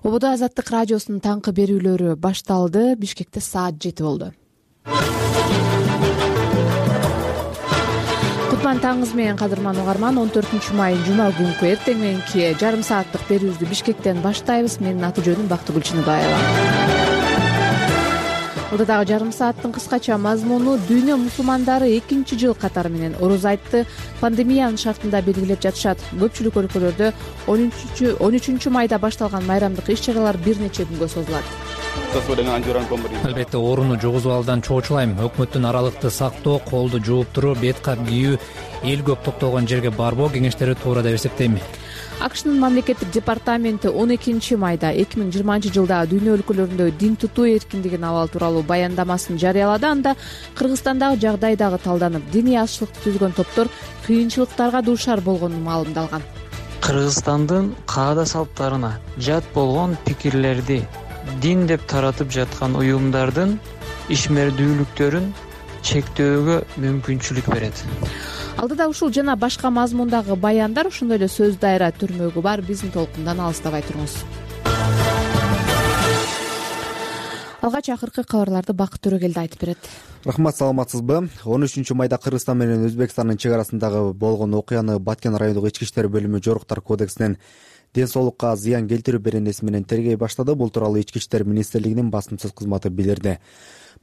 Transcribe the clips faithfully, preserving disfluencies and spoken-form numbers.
Ободо Азаттык радиосунун таңкы берүүлөрү башталды. Бишкекте саат жети болду. Кутман таңыңыз менен, кадырман угарман. он төртүнчү май жума күнкү эртең мененки жарым сааттык берүүбүздү Бишкектен баштайбыз. Менин аты жөнүм Бактыгүл Чыныбаева. Бул дагы жарым сааттын кыскача мазмуну: дүйнө мусулмандары экинчи жыл катары менен ороз айтты. Пандемиянын шартында белгилеп жатышат. Көпчүлүк өлкөлөрдө он үчүнчү майда башталган майрамдык иш-чаралар бир нече күнгө созулат. Албетте ооруну жугузуп алуудан чоочулайм. Өкмөттүн аралыкты сактоо, колду жууп туруу, бет кап кийүү, эл көп топтолгон жерге барбоо кеңештери туура деп эсептейм. АКШнын мамлекеттик департаменти он экинчи майда эки миң жыйырманчы жылда дүйнө өлкөлөрүндө дин тутуу эркиндигин абал тууралуу баяндамасын жарыялады. Анда Кыргызстандагы жагдай дагы талданып, диний азчылыкты түзгөн топтор кыйынчылыктарга дуушар болгону маалымдалган. Кыргызстандын каада салттарына жат болгон пикирлерди дин деп таратып жаткан уюмдардын ишмердүүлүктөрүн чектөөгө мүмкүнчүлүк берет. Алдыда ушул жана башка мазмундагы баяндар, ошондой эле сөз дайра түрмөгү бар. Биздин толкундан алыстабай туруңуз. Алгач акыркы кабарларды Бакыт Төрөгелди айтып берет. Рахмат, саламатсызбы? он үчүнчү майда Кыргызстан менен Өзбекстандын чек арасындагы болгон окуяны Баткен райондук ички иштер бөлүмү жоруктар кодексинен ден соолукка зыян келтирүү беренеси менен тергей баштады. Бул тууралуу Ички иштер министрлигинин басымсыз кызматы билдирди.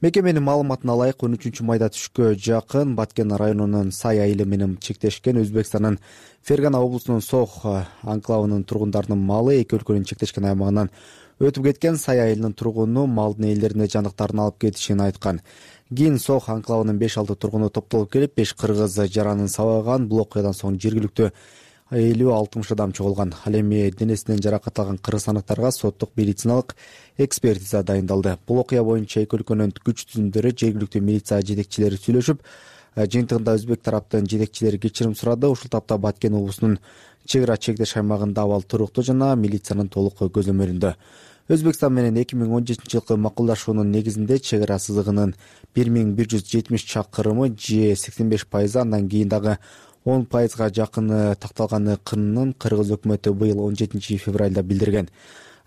Мекеменин маалыматына ылайык, он үчүнчү майда түшкө жакын Баткен районунун Сай айылы менен чектешкен Өзбекстандын Фергана облусунун Сох анклавынын тургундарынын малы эки өлкөнүн чектешкен аймагынан өтүп кеткен. Сай айылынын тургуну малдын ээлерине жандыктарын алып кетишин айткан. Кийин Сох анклавынын беш алты тургуну топтолуп келип, беш кыргыз жаранын сабаган. Бул окуядан соң жергиликтүү элүү алтымыш адам чогулган. Ал эми денесинен жаракат алган кыргызстандыктарга соттук медициналык экспертиза дайындалды. Бул окуя боюнча эки өлкөнүн күч түзүмдөрү, жергиликтүү милиция жетекчилери сүйлөшүп, жыйынтыгында өзбек тараптын жетекчилери кечирим сурады. Ушул тапта Баткен облусунун чек ара чектеш аймагында абал туруктуу жана милициянын толук көзөмөлүндө. Өзбекстан менен эки миң он жетинчи жылкы макулдашуунун негизинде чек ара сызыгынын бир миң бир жүз жетимиш чакырымы же сексен беш пайызы, андан кийин дагы он пайызга жакыны такталганы кынын кыргыз өкмөтү быйыл он жетинчи февралда билдирген.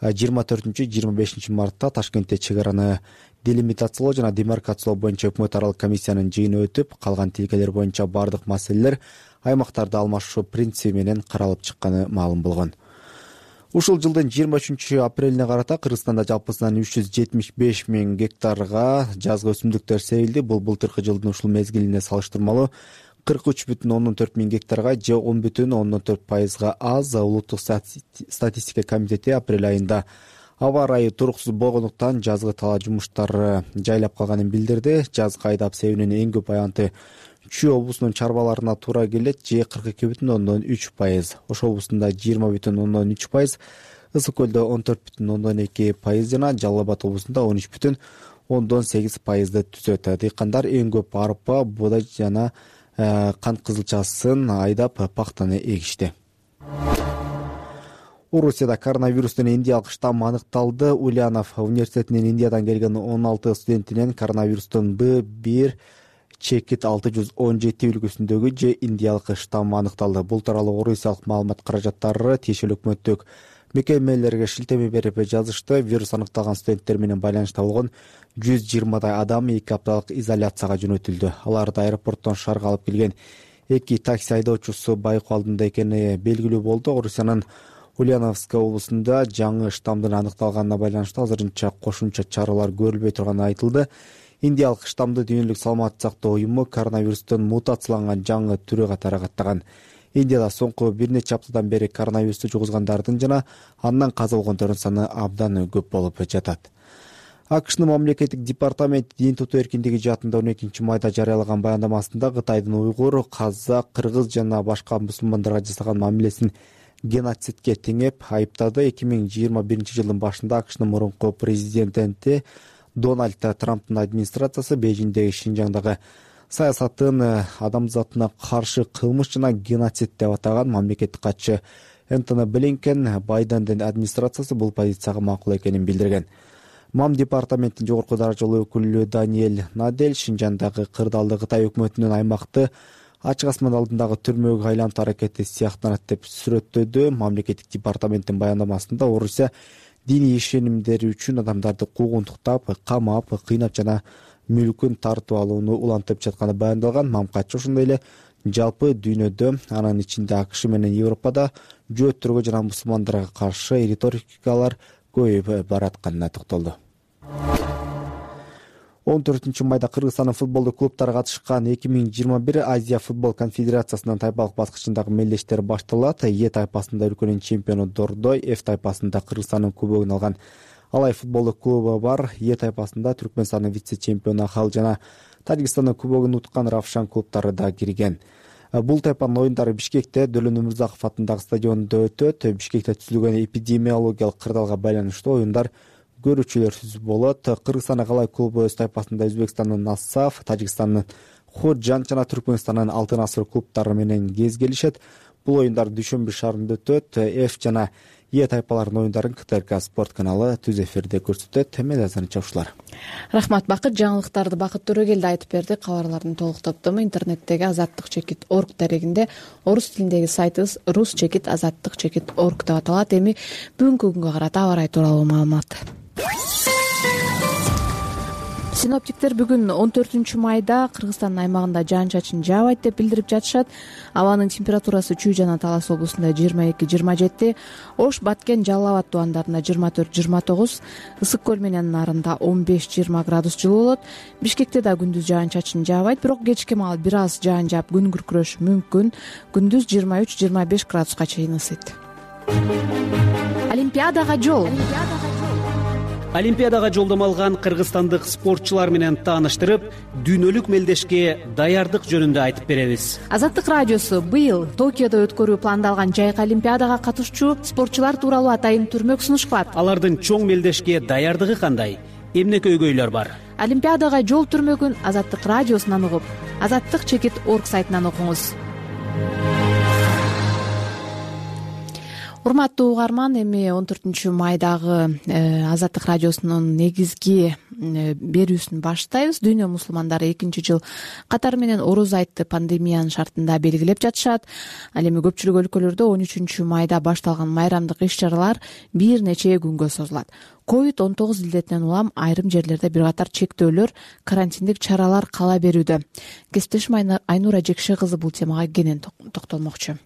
жыйырма төртүнчү жыйырма бешинчи мартта Ташкентте чек араны делимитациялоо жана демаркациялоо боюнча өкмөт аралык комиссиянын жыйыны өтүп, калган тилкелер боюнча бардык маселелер аймактарды алмашуу принциби менен каралып чыкканы маалым болгон. Ушул жылдын жыйырма үчүнчү апрелине карата Кыргызстанда жалпысынан үч жүз жетимиш беш миң гектарга жазгы өсүмдүктөр себилди. Бул былтыркы жылдын ушул мезгилине салыштырмалуу кырк үч бүтүн ондон төрт миң гектарга же он бүтүн ондон төрт пайызга аз. Улуттук статистика комитети апрель айында аба ырайы туруксуз болгондуктан жазгы талаа жумуштары жайлап калганын билдирди. Жазгы айдап себүүнүн эң көп аянты Чүй облусунун чарбаларына туура келет, же кырк эки бүтүн ондон үч пайыз. Ош облусунда жыйырма бүтүн ондон үч пайыз, Ысык көлдө он төрт бүтүн ондон эки пайыз жана Жалал Абад облусунда он үч бүтүн ондон сегиз пайызды түзөт. Дыйкандар эң көп арпа, буудай жана кант кызылчасын айдап пахтаны эгишти. Орусияда коронавирустун индиялык штаммы аныкталды. Ульянов университетинин Индиядан келген он алты студентинен коронавирустун Б бир чекит алты жүз он жети үлгүсүндөгү же индиялык штаммы аныкталды. Бул тууралуу орусиялык маалымат каражаттары тиешелүү өкмөттүк мекемелерге шилтеме берип жазышты. Вирус аныкталган студенттер менен байланышта болгон жүз жыйырмадай адам эки апталык изоляцияга жөнөтүлдү. Аларды аэропорттон шаарга алып келген эки такси айдоочусу байкоо алдында экени белгилүү болду. Орусиянын Ульяновск облусунда жаңы штамдын аныкталганына байланыштуу азырынча кошумча чаралар көрүлбөй турганы айтылды. Индиялык штамды Дүйнөлүк саламаттык сактоо уюму коронавирустун мутацияланган жаңы түрү катары каттаган. Индияда соңку бир нече аптадан бери коронавирусту жугузгандардын жана андан каза болгондордун саны абдан көп болуп жатат. АКШнын мамлекеттик департаменти дин тутуу эркиндиги жаатында он экинчи майда жарыялаган баяндамасында Кытайдын уйгур, казак, кыргыз жана башка мусулмандарга жасаган мамилесин геноцидке теңеп айыптады. эки миң жыйырма биринчи жылдын башында АКШнын мурунку президенти Дональд Трамптын администрациясы Бейжиңдеги Шинжаңдагы саясатын адамзатына каршы кылмыш жана геноцид деп атаган. Мамлекеттик катчы Энтони Блинкен Байдендин администрациясы бул позицияга макул экенин билдирген. МАМ департаментинин жогорку даражалуу өкүлү Даниэль Надель Шинжаңдагы кырдаалды Кытай өкмөтүнүн аймакты ачык асман алдындагы түрмөгө айлантуу аракети сыяктанат деп сүрөттөдү. Мамлекеттик департаменттин баяндамасында Орусия диний ишенимдери үчүн адамдарды куугунтуктап, камап, кыйнап жана мүлкүн тартып алууну улантып жатканы баяндалган. Мамкатчы ошондой эле жалпы дүйнөдө, анын ичинде АКШ менен Европада жөөттөргө жана мусулмандарга каршы риторикалар көбөйүп баратканына токтолду. он төртүнчү майда Кыргызстандын футболдук клубтары катышкан эки миң жыйырма бир Азия футбол конфедерациясынын тайпалык баскычындагы мелдештер башталат. Е тайпасында өлкөнүн чемпиону Дордой, F тайпасында Кыргызстандын кубогун алган Алай футболдук клубу бар. Е тайпасында Түркмөнстандын вице-чемпиону Ахал жана Тажикстандын кубогун уткан Равшан клубтары да кирген. Бул тайпанын оюндары Бишкекте Дөлөн Өмүрзаков атындагы стадиондо өтөт. Бишкекте түзүлгөн эпидемиологиялык кырдаалга байланыштуу оюндар көрүүчүлөрсүз болот. Кыргызстандын Алай клубу өз тайпасында Өзбекстандын Нассаф, Тажикстандын Ходжан жана Түркмөнстандын Алтын Асыр клубтары менен кезгелишет. Бул оюндар дүйшөмбү шаарында өтөт. F жана Е тайпаларынын оюндарын КТРК спорт каналы түз эфирде көрсөтөт. Мен азыр чогушулар. Рахмат Бакыт. Жаңылыктарды Бакыт Төрөгелди айтып берди. Кабарлардын толук топтому интернеттеги азаттык чекит орг дарегинде, орус тилиндеги сайтыбыз рус чекит азаттык чекит орг деп аталат. Эми бүгүнкү күнгө карата аба ырайы тууралуу маалымат. Синоптиктер бүгүн он төртүнчү майда Кыргызстандын аймагында жаан-чачын жаабайт деп билдирип жатышат. Абанын температурасы Чүй жана Талас облусунда жыйырма эки жыйырма жети, Ош, Баткен, Жалал Абад тубандарында жыйырма төрт жыйырма тогуз, Ысык көл менен нарында он беш жыйырма градус жылуу болот. Бишкекте да күндүз жаан-чачын жаабайт, бирок кечки маал бир аз жаан жаап күн күркүрөшү мүмкүн. Күндүз жыйырма үч жыйырма беш градуска чейин ысыйт. Олимпиадага жол. Олимпиадага жолдомо алган кыргызстандык спортчулар менен тааныштырып, дүйнөлүк мелдешке даярдык жөнүндө айтып беребиз. Азаттык радиосу быйыл Токиодо өткөрүү пландалган жайкы олимпиадага катышчу спортчулар тууралуу атайын түрмөк сунуш кылат. Алардын чоң мелдешке даярдыгы кандай? Эмне көйгөйлөр бар? Олимпиадага жол түрмөгүн Азаттык радиосунан угуп, азаттык чекит орг сайтынан окуңуз. Урматтуу угарман, эми он төртүнчү майдагы Азаттык радиосунун негизги берүүсүн баштайбыз. Дүйнө мусулмандары экинчи жыл катары менен Ороз айтты пандемиянын шартында белгилеп жатышат. Ал эми көпчүлүк өлкөлөрдө он үчүнчү майда башталган майрамдык иш-чаралар бир нече күнгө созулат. ковид он тогуз илдетинен улам айрым жерлерде бир катар чектөөлөр, карантиндик чаралар кала берүүдө. Кесиптешим Айнура Жекше кызы бул темага кенен токтолмокчу.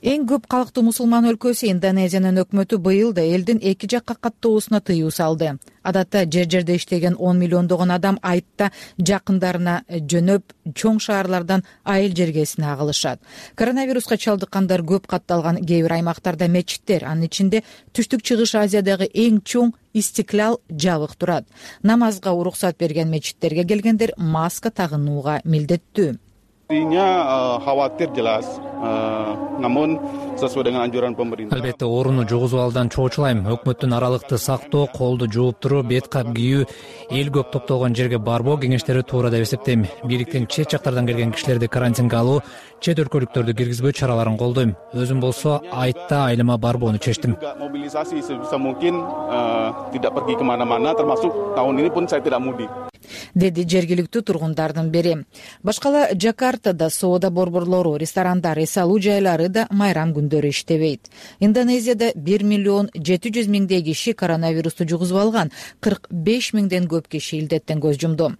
Эң көп калктуу мусулман өлкөсү Индонезиянын өкмөтү быйыл да элдин эки жакка каттоосуна тыюу салды. Адатта жер жерде иштеген он миллиондогон адам айтта жакындарына жөнөп, чоң шаарлардан айыл жергесине агылышат. Коронавируска чалдыккандар көп катталган кээ бир аймактарда мечиттер, анын ичинде Түштүк Чыгыш Азиядагы эң чоң Истиклал жабык турат. Намазга уруксат берген мечиттерге келгендер маска тагынууга милдеттүү. Албетте орууну жугузбаудан чоочулайм. Өкмөттүн аралыкты сактоо, колду жууп туруп, бет кап кийүү, эл көп топтолгон жерге барбоо кеңештери туура деп эсептейм. Бийликтин чет жактардан келген кишилерди карантинге алуу, чет өлкөлүктөрдү киргизбөө чараларын колдойм. Өзүм болсо айтта айылыма барбоону чечтим. Деди жергиликтүү тургундардын бири. Башкала Жакартада соода борборлору, ресторандар, эс алуу жайлары да майрам күндөрү иштебейт. Индонезияда бир миллион жети жүз миңдей киши коронавирусту жугузуп алган, кырк беш миңден көп киши илдеттен көз жумду.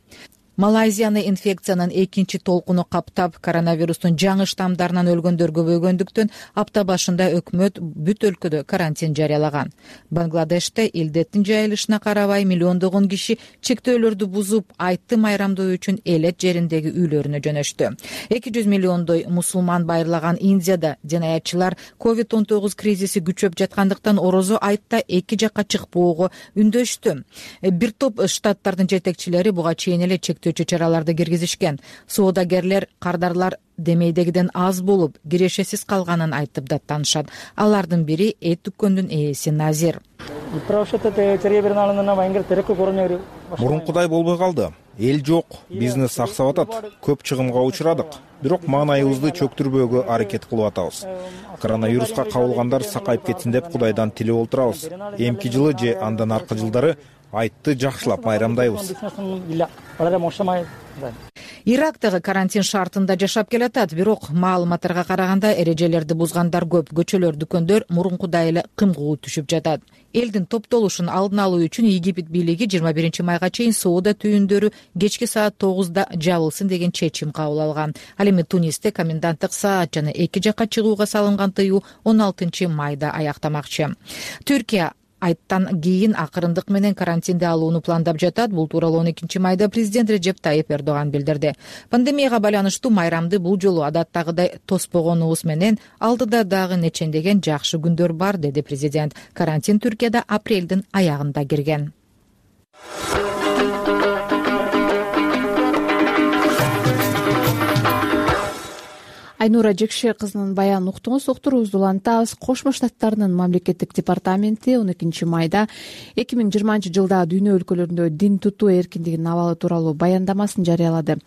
Малайзияны инфекциянын экинчи толкуну каптап, коронавирустун жаңы штамдарынан өлгөндөр көбөйгөндүктөн апта башында өкмөт бүт өлкөдө карантин жарыялаган. Бангладеште илдеттин жайылышына карабай миллиондогон киши чектөөлөрдү бузуп, айтты майрамдоо үчүн элет жериндеги үйлөрүнө жөнөштү. эки жүз миллиондой мусулман байырлаган Индияда жанаятчылар ковид он тогуз кризиси күчөп жаткандыктан орозо айтта эки жакка чыкпоого үндөштү. Бир топ штаттардын жетекчилери буга чейин эле чектөөчү чараларды киргизишкен. Соодагерлер, кардарлар демейдегиден аз болуп, кирешесиз калганын айтып даттанышат. Алардын бири эт дүккөндүн ээси Назир. Мурункудай болбой калды. Эл жок, бизнес саксап атат. Көп чыгымга учурадык. Бирок маанайыбызды чөктүрбөөгө аракет кылып атабыз. Коронавируска кабылгандар сакайып кетсин деп Кудайдан тилеп отурабыз. Эмки жылы же андан аркы жылдары айтты жакшылап майрамдайбыз. Ирактагы карантин шартында жашап келатат, бирок маалыматтарга караганда эрежелерди бузгандар көп. Көчөлөр, дүкөндөр мурункудай эле кымкуу түшүп жатат. Элдин топтолушун алдын алуу үчүн Египет бийлиги жыйырма биринчи майга чейин соода түйүндөрү кечки саат тогузда жабылсын деген чечим кабыл алган. Ал эми Тунисте коменданттык саат жана эки жакка чыгууга салынган тыюу он алтынчы майда аяктамакчы. Түркия айттан кийин акырындык менен карантинде алууну пландап жатат. Бул тууралуу он экинчи майда президент Режеп Тайип Эрдоган билдирди. Пандемияга байланыштуу майрамды бул жолу адаттагыдай тоспогонубуз менен алдыда дагы нечендеген жакшы күндөр бар, деди президент. Карантин Түркияда апрелдин аягында кирген. Айнура Жекше кызынын баянын уктуңуз. Уктуруубузду улантабыз. Кошмо Штаттарынын мамлекеттик департаменти он экинчи майда эки миң жыйырманчы жылда дүйнө өлкөлөрүндө дин тутуу эркиндигинин абалы тууралуу баяндамасын жарыялады.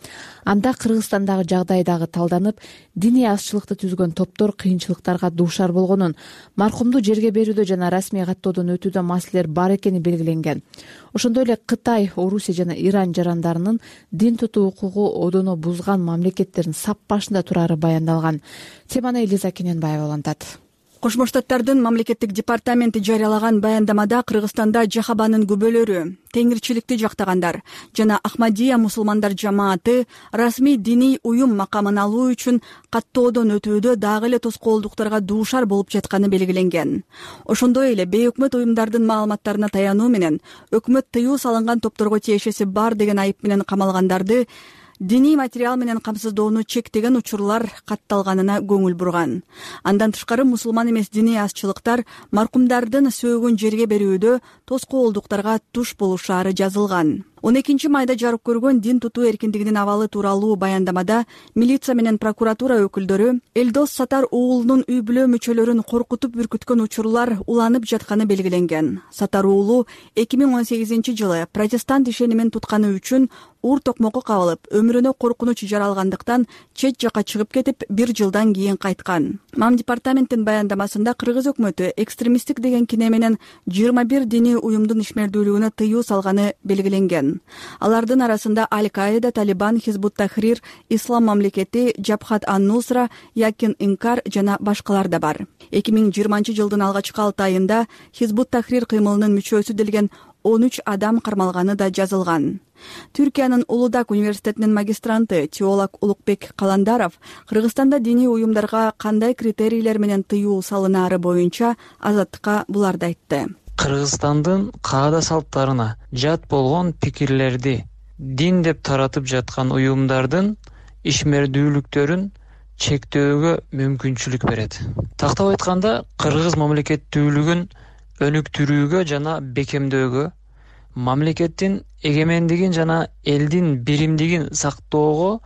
Анда Кыргызстандагы жагдай дагы талданып, диний азчылыкты түзгөн топтор кыйынчылыктарга дуушар болгонун, маркумду жерге берүүдө жана расмий каттоодон өтүүдө маселелер бар экени белгиленген. Ошондой эле Кытай, Орусия жана Иран жарандарынын дин тутуу укугу одоно бузган мамлекеттердин сап башында турары баяндалган. Теманы Элиза Кененбаева улантат. Кошмо Штаттардын мамлекеттик департаменти жарыялаган баяндамада Кыргызстанда жахабанын күбөлөрү, теңирчиликти жактагандар жана Ахмадия мусулмандар жамааты расмий диний уюм макамын алуу үчүн каттоодон өтүүдө дагы эле тоскоолдуктарга дуушар болуп жатканы белгиленген. Ошондой эле бейөкмөт уюмдардын маалыматтарына таянуу менен өкмөт тыюу салынган топторго тиешеси бар деген айып менен камалгандарды диний материал менен камсыздоону чектеген учурлар катталганына көңүл бурган. Андан тышкары мусулман эмес диний азчылыктар маркумдардын сөөгүн жерге берүүдө тоскоолдуктарга туш болушаары жазылган. он экинчи майда жарык көргөн дин тутуу эркиндигинин абалы тууралуу баяндамада милиция менен прокуратура өкүлдөрү Элдос Сатар уулунун үй бүлө мүчөлөрүн коркутуп үркүткөн учурлар уланып жатканы белгиленген. Сатар уулу эки миң он сегизинчи жылы протестант ишенимин тутканы үчүн уур токмокко кабылып, өмүрүнө коркунуч жаралгандыктан чет жакка чыгып кетип, бир жылдан кийин кайткан. Мам департаменттин баяндамасында Кыргыз өкмөтү экстремисттик деген кине менен жыйырма бир диний уюмдун ишмердүүлүгүнө тыюу салганы белгиленген. Алардын арасында Аль-Каида, Талибан, Хизбут Тахрир, Ислам мамлекети, Жабхат ан-Нусра, Якин Инкар жана башкалар да бар. эки миң жыйырманчы жылдын алгачкы алты айында Хизбут Тахрир кыймылынын мүчөсү делген он үч адам кармалганы да жазылган. Түркиянын Улудак университетинин магистранты теолог Улукбек Каландаров Кыргызстанда диний уюмдарга кандай критерийлер менен тыюу салынаары боюнча азаттыкка буларды айтты. Кыргызстандын каада салттарына жат болгон пикирлерди дин деп таратып жаткан уюмдардын ишмердүүлүктөрүн чектөөгө мүмкүнчүлүк берет. Тактап айтканда, кыргыз мамлекеттүүлүгүн өнүктүрүүгө жана бекемдөөгө, мамлекеттин эгемендигин жана элдин биримдигин сактоого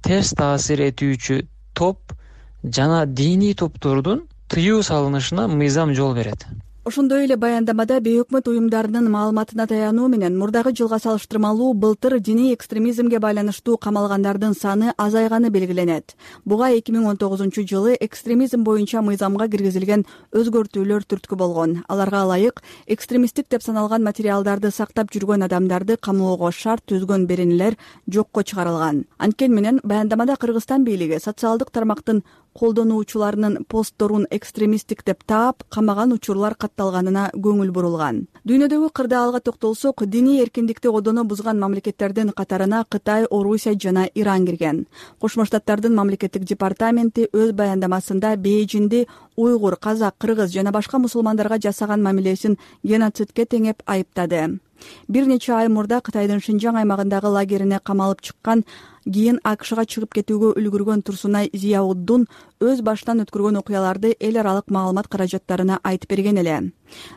терс таасир этүүчү топ жана диний топтордун тыюу салынышына мыйзам жол берет. Ошондой эле баяндамада бейөкмөт уюмдарынын маалыматына таянуу менен мурдагы жылга салыштырмалуу былтыр диний экстремизмге байланыштуу камалгандардын саны азайганы белгиленет. Буга эки миң он тогузунчу жылы экстремизм боюнча мыйзамга киргизилген өзгөртүүлөр түрткү болгон. Аларга ылайык экстремисттик деп саналган материалдарды сактап жүргөн адамдарды камоого шарт түзгөн беренелер жокко чыгарылган. Анткени менен баяндамада Кыргызстан бийлиги социалдык тармактын колдонуучуларынын постторун экстремисттик деп таап, камаган учурлар катталганына көңүл бурулган. Дүйнөдөгү кырдаалга токтолсок, диний эркиндикти одоно бузган мамлекеттердин катарына Кытай, Орусия жана Иран кирген. Кошмо Штаттардын мамлекеттик департаменти өз баяндамасында Бейжинди уйгур, казак, кыргыз жана башка мусулмандарга жасаган мамилесин геноцидке теңеп айыптады. Бир нече ай мурда Кытайдын Шинжаң аймагындагы лагерине камалып чыккан, кийин АКШга чыгып кетүүгө үлгүргөн Турсунай Зияуддун өз башынан өткөргөн окуяларды эл аралык маалымат каражаттарына айтып берген эле.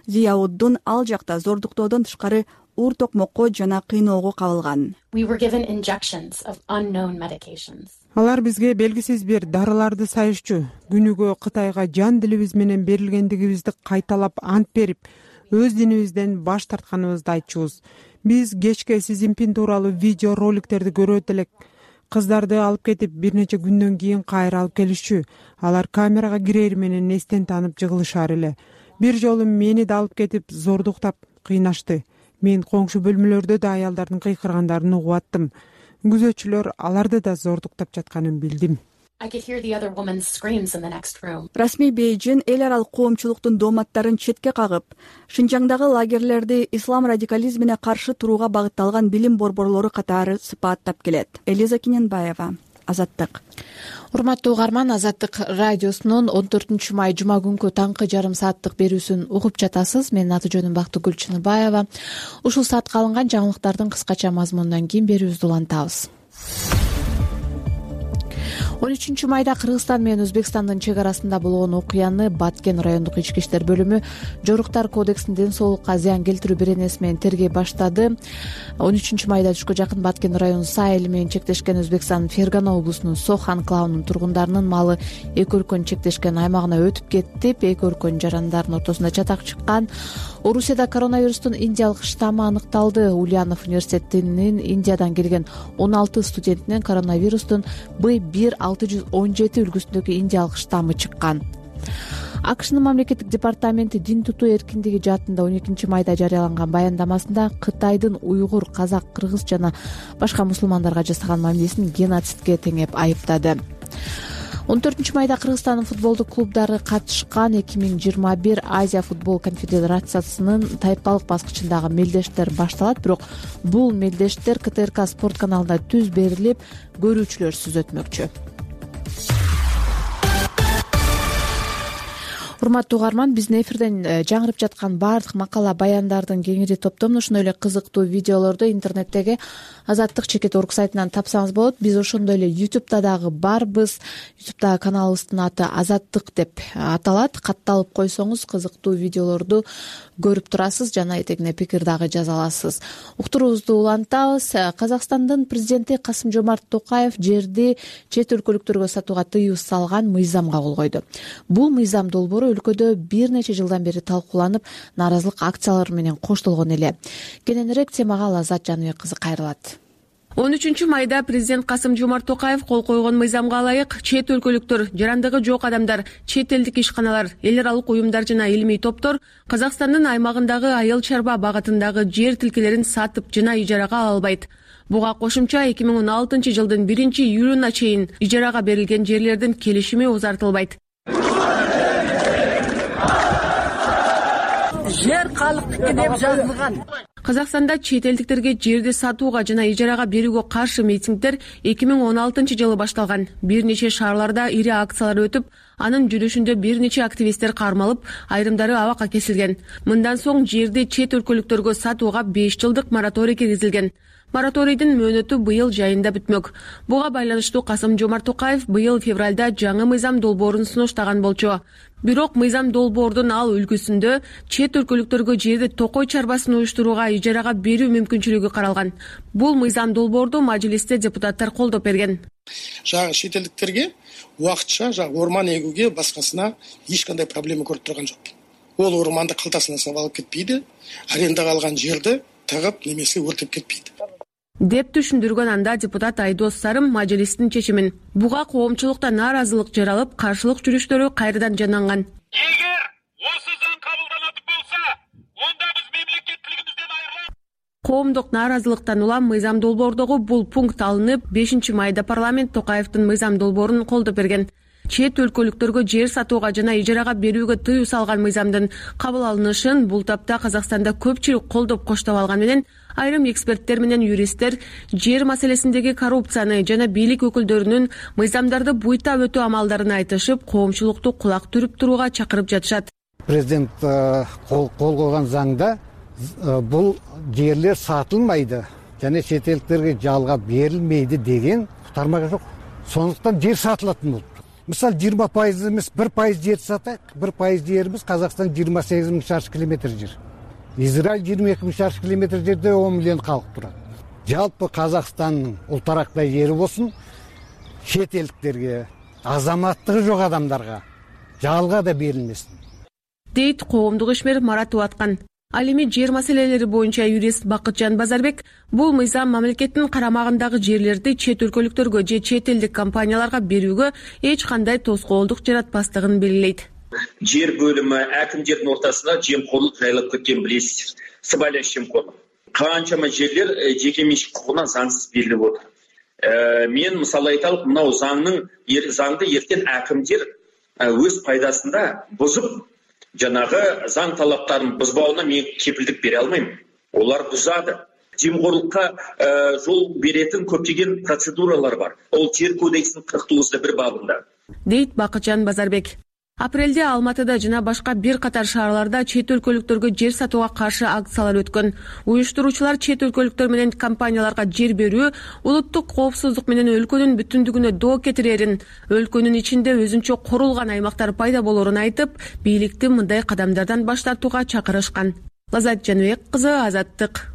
Зияуддун ал жакта зордуктоодон тышкары уур токмокко жана кыйноого кабылган. Алар бизге белгисиз бир дарыларды сайышчу. Күнүгө Кытайга жан дилибиз менен берилгендигибизди кайталап ант берип, өз динибизден баш тартканыбызды айтчубуз. Биз кечке Си Цзиньпин тууралуу видео роликтерди көрөт элек. Кыздарды алып кетип, бир нече күндөн кийин кайра алып келишчү. Алар камерага кирери менен эстен таанып жыгылышар эле. Бир жолу мени да алып кетип, зордуктап кыйнашты. Мен коңшу бөлмөлөрдө да аялдардын кыйкыргандарын угуп аттым. күзөтчүлөр аларды да зордуктап жатканын билдим. Расмий Бейжин эл аралык коомчулуктун дооматтарын четке кагып, Шинжаңдагы лагерлерди ислам радикализмине каршы турууга багытталган билим борборлору катары сыпаттап келет. Элиза Киненбаева, Азаттык. Урматтуу угарман, Азаттык радиосунун он төртүнчү май жума күнкү таңкы жарым сааттык берүүсүн угуп жатасыз. Менин аты жөнүм Бактыгүл Чыныбаева. Ушул саатка алынган жаңылыктардын кыскача мазмунунан кийин берүүбүздү улантабыз. он үчүнчү майда Кыргызстан менен Өзбекстандын чек арасында болгон окуяны Баткен райондук ички иштер бөлүмү Жоруктар кодексинин ден соолукка зыян келтирүү беренеси менен тергей баштады. он үчүнчү майда түшкө жакын Баткен району Саа эли менен чектешкен Өзбекстандын Фергана облусунун Сох анклавынын тургундарынын малы эки өлкөнүн чектешкен аймагына өтүп кетип, эки өлкөнүн жарандарынын ортосунда чатак чыккан. Орусияда коронавирустун индиялык штаммы аныкталды. Ульянов университетинин Индиядан келген он алты студентинен коронавирустун Б бир алты жүз он жети үлгүсүндөгү индиялык штаммы чыккан. АКШнын мамлекеттик департаменти дин тутуу эркиндиги жаатында он экинчи майда жарыяланган баяндамасында Кытайдын уйгур, казак, кыргыз жана башка мусулмандарга жасаган мамилесин геноцидке теңеп айыптады. он төртүнчү майда Кыргызстандын футболдук клубдары катышкан эки миң жыйырма бир Азия футбол конфедерациясынын тайпалык баскычындагы мелдештер башталат, бирок бул мелдештер К Т Р К спорт каналында түз берилип, көрүүчүлөрсүз өтмөкчү. Урматтуу угарман, биздин эфирден жаңырып жаткан баардык макала баяндардын кеңири топтомун, ошондой эле кызыктуу видеолорду интернеттеги Азаттык чекит орг сайтынан тапсаңыз болот. Биз ошондой эле ютубта дагы барбыз. ютубтагы каналыбыздын аты Азаттык деп аталат. Катталып койсоңуз кызыктуу видеолорду көрүп турасыз жана этегине пикир дагы жаза аласыз. Уктуруубузду улантабыз. Казакстандын президенти Касым-Жомарт Токаев жерди чет өлкөлүктөргө сатууга тыюу салган мыйзамга кол койду. Бул мыйзам долбоору өлкөдө бир нече жылдан бери талкууланып, нааразылык акциялары менен коштолгон эле. Кененирээк темага Азат Жаныбек кызы кайрылат. он үчүнчү майда президент Касым-Жомарт Токаев кол койгон мыйзамга ылайык чет өлкөлүктөр, жарандыгы жок адамдар, чет элдик ишканалар, эл аралык уюмдар жана илимий топтор Казакстандын аймагындагы айыл чарба багытындагы жер тилкелерин сатып жана ижарага ала албайт. Буга кошумча эки миң он алтынчы жылдын биринчи июлуна чейин ижарага берилген жерлердин келишими узартылбайт. Жер калктыкы деп жазылган. Казакстанда чет элдиктерге жерди сатууга жана ижарага берүүгө каршы митингдер эки миң он алтынчы жылы башталган. Бир нече шаарларда ири акциялар өтүп, анын жүрүшүндө бир нече активисттер кармалып, айрымдары абакка кесилген. Мындан соң жерди чет өлкөлүктөргө сатууга беш жылдык мораторий киргизилген. Мораторийдин мөөнөтү быйыл жайында бүтмөк. Буга байланыштуу Касым-Жомарт Токаев быйыл февралда жаңы мыйзам долбоорун сунуштаган болчу. Бирок мыйзам долбоордун ал үлгүсүндө чет өлкөлүктөргө жерди токой чарбасын уюштурууга ижарага берүү мүмкүнчүлүгү каралган. Бул мыйзам долбоорду мажлисте депутаттар колдоп берген. Жагы чет элдиктерге убакытча жагы орман эгүүгө башкасына эч кандай проблема көрүп турган жок. Ол орманды калтасына салып алып кетпейди, арендага алган жерди тагып немесе өртөп кетпейди деп түшүндүргөн анда депутат Айдос Сарым мажлистин чечимин. Буга коомчулукта нааразылык жаралып, каршылык жүрүштөрү кайрадан жананган. Эгер осы заң кабылданат болсо, онда биз мемлекеттилигибизден айрылабыз. Коомдук нааразылыктан улам мыйзам долбоордогу бул пункт алынып, бешинчи майда парламент Токаевдин мыйзам долбоорун колдоп берген. Чет өлкөлүктөргө жер сатууга жана ижарага берүүгө тыюу салган мыйзамдын кабыл алынышын бул тапта Казакстанда көпчүлүк колдоп коштоп алган менен айрым эксперттер менен юристтер жер маселесиндеги коррупцияны жана бийлик өкүлдөрүнүн мыйзамдарды буйта өтүү амалдарын айтышып, коомчулукту кулак түрүп турууга чакырып жатышат. Президент кол койгон заңда бул жерлер сатылмайды жана чет элдиктерге жалга берилмейди деген тармак жок. Сондуктан жер сатылатын болуп. Мисалы жыйырма пайыз эмес, бир пайыз жер сатайык. бир пайыз жерибиз Казакстан жыйырма сегиз миң шарчы километр жер. Израиль жыйырма эки миң шарчы километр жерде он миллион калк турат. Жалпы Казакстандын ултарактай жери болсун, чет элдиктерге, азаматтыгы жок адамдарга жалга да берилмесин дейт коомдук ишмер Марат Уаткан. Ал эми жер маселелери боюнча юрист Бакытжан Базарбек бул мыйзам мамлекеттин карамагындагы жерлерди чет өлкөлүктөргө же чет элдик компанияларга берүүгө эч кандай тоскоолдук жаратпастыгын белгилейт. Жер бөлүмү акимдердин ортасында жемкорлук жайлап кеткен билесиздер. Сыбайлаш жемкорлук. Канчама жерлер жеке менчик укугунан заңсыз берилип отур. мен мисалы айталык, мынау заңның заңды эртең әкімдер өз пайдасында бузуп, жанагы заң талаптарын бузбауына мен кепилдик бере алмайм. Олар бузады. Жемқорлыққа жол беретін көптеген процедуралар бар. Ол жер кодексінің кырк тогузда бир бабында. Дейт Бакытжан Базарбек. Апрелде Алматыда жана башка бир катар шаарларда чет өлкөлүктөргө жер сатууга каршы акциялар өткөн. Уюштуруучулар чет өлкөлүктөр менен компанияларга жер берүү улуттук коопсуздук менен өлкөнүн бүтүндүгүнө доо кетирерин, өлкөнүн ичинде өзүнчө корулган аймактар пайда болорун айтып, бийликти мындай кадамдардан баш тартууга чакырышкан. Лазат Жаныбек кызы, Азаттык.